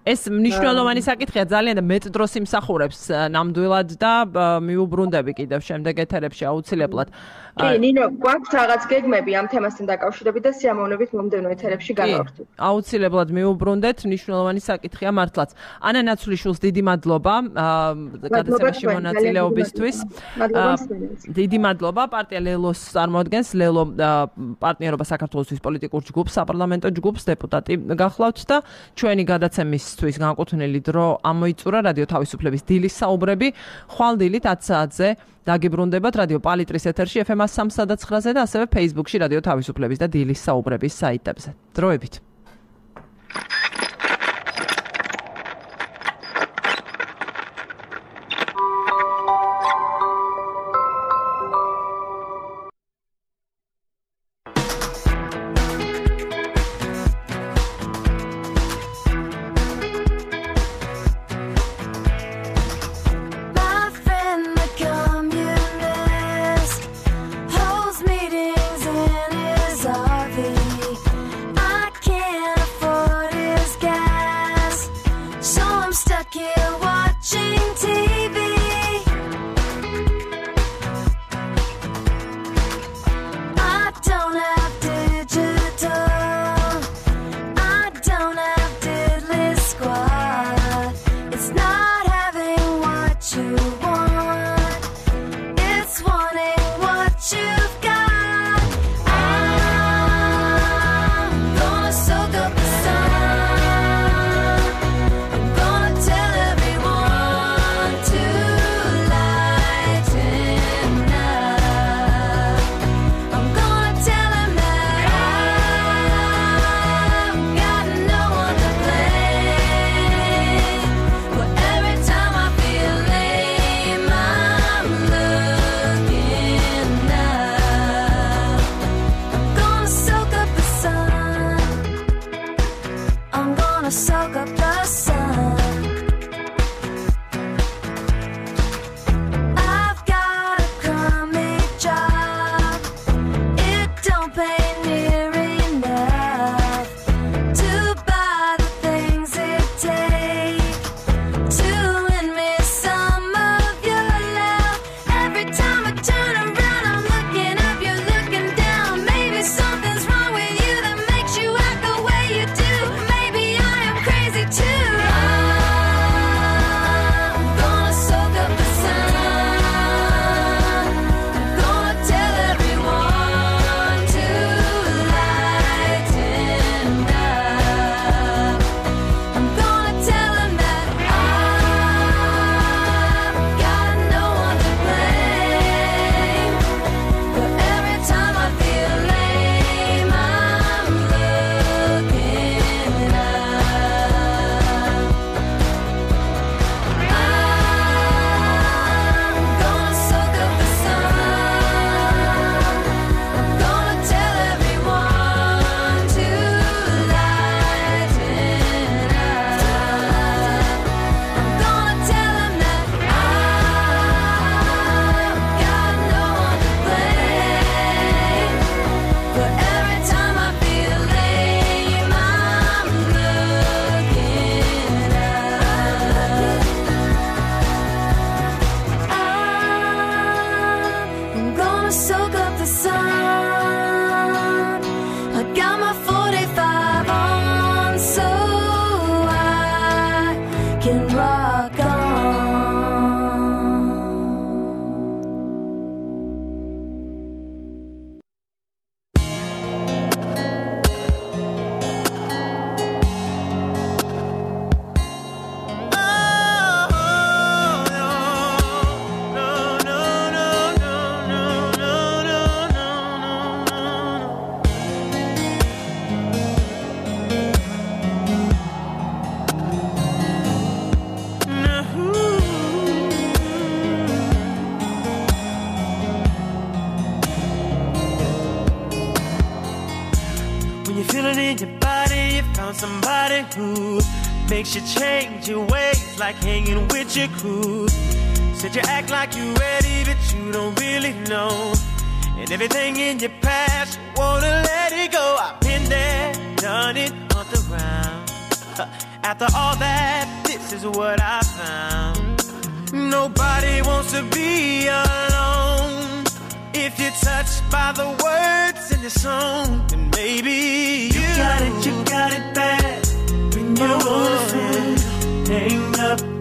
ეს მნიშვნელოვანი საკითხია ძალიან და მეტ დროს იმსახურებს ნამდვილად და მიუბრუნდები კიდევ შემდეგ ეთერებში აუცილებლად. კი, ნინო, გვაქვს რაღაც გეგმები ამ თემასთან დაკავშირებით და სიამოვნებით მომდევნო ეთერებში გავავრთებ. აუცილებლად მიუბრუნდეთ, მნიშვნელოვანი საკითხია მართლაც. ანა ნაცვლიშვილს დიდი მადლობა გადაცემაში მონაწილეობისთვის. დიდი მადლობა. პარტია ლელოს წარმოადგენს, ლელო პარტნიორობა საქართველოსთვის პოლიტიკურ ჯგუფს, საპარლამენტო ჯგუფს, დეპუტატი გახლავთ და ჩვენი გადაცემის თვის განკუთვნილი დრო ამოიწურა რადიო თავისუფლების დილის საუბრები ხვალ დილით ათ საათზე დაგიბრუნდებათ რადიო პალიტრის ეთერში ეფ ემ სამსა და ცხრაზე და ასევე Facebook-ში რადიო თავისუფლების და დილის საუბრების საიტებზე. დროებით. Can't in your body, you found somebody who makes you change your ways, like hanging with your crew. Said you act like you ready, but you don't really know. And everything in your past, you wanna let it go. I've been there, done it on the round. After all that, this is what I found. Nobody wants to be alone. If you're touched by the words in the song, then maybe you, you got it, you got it bad. When you're hang up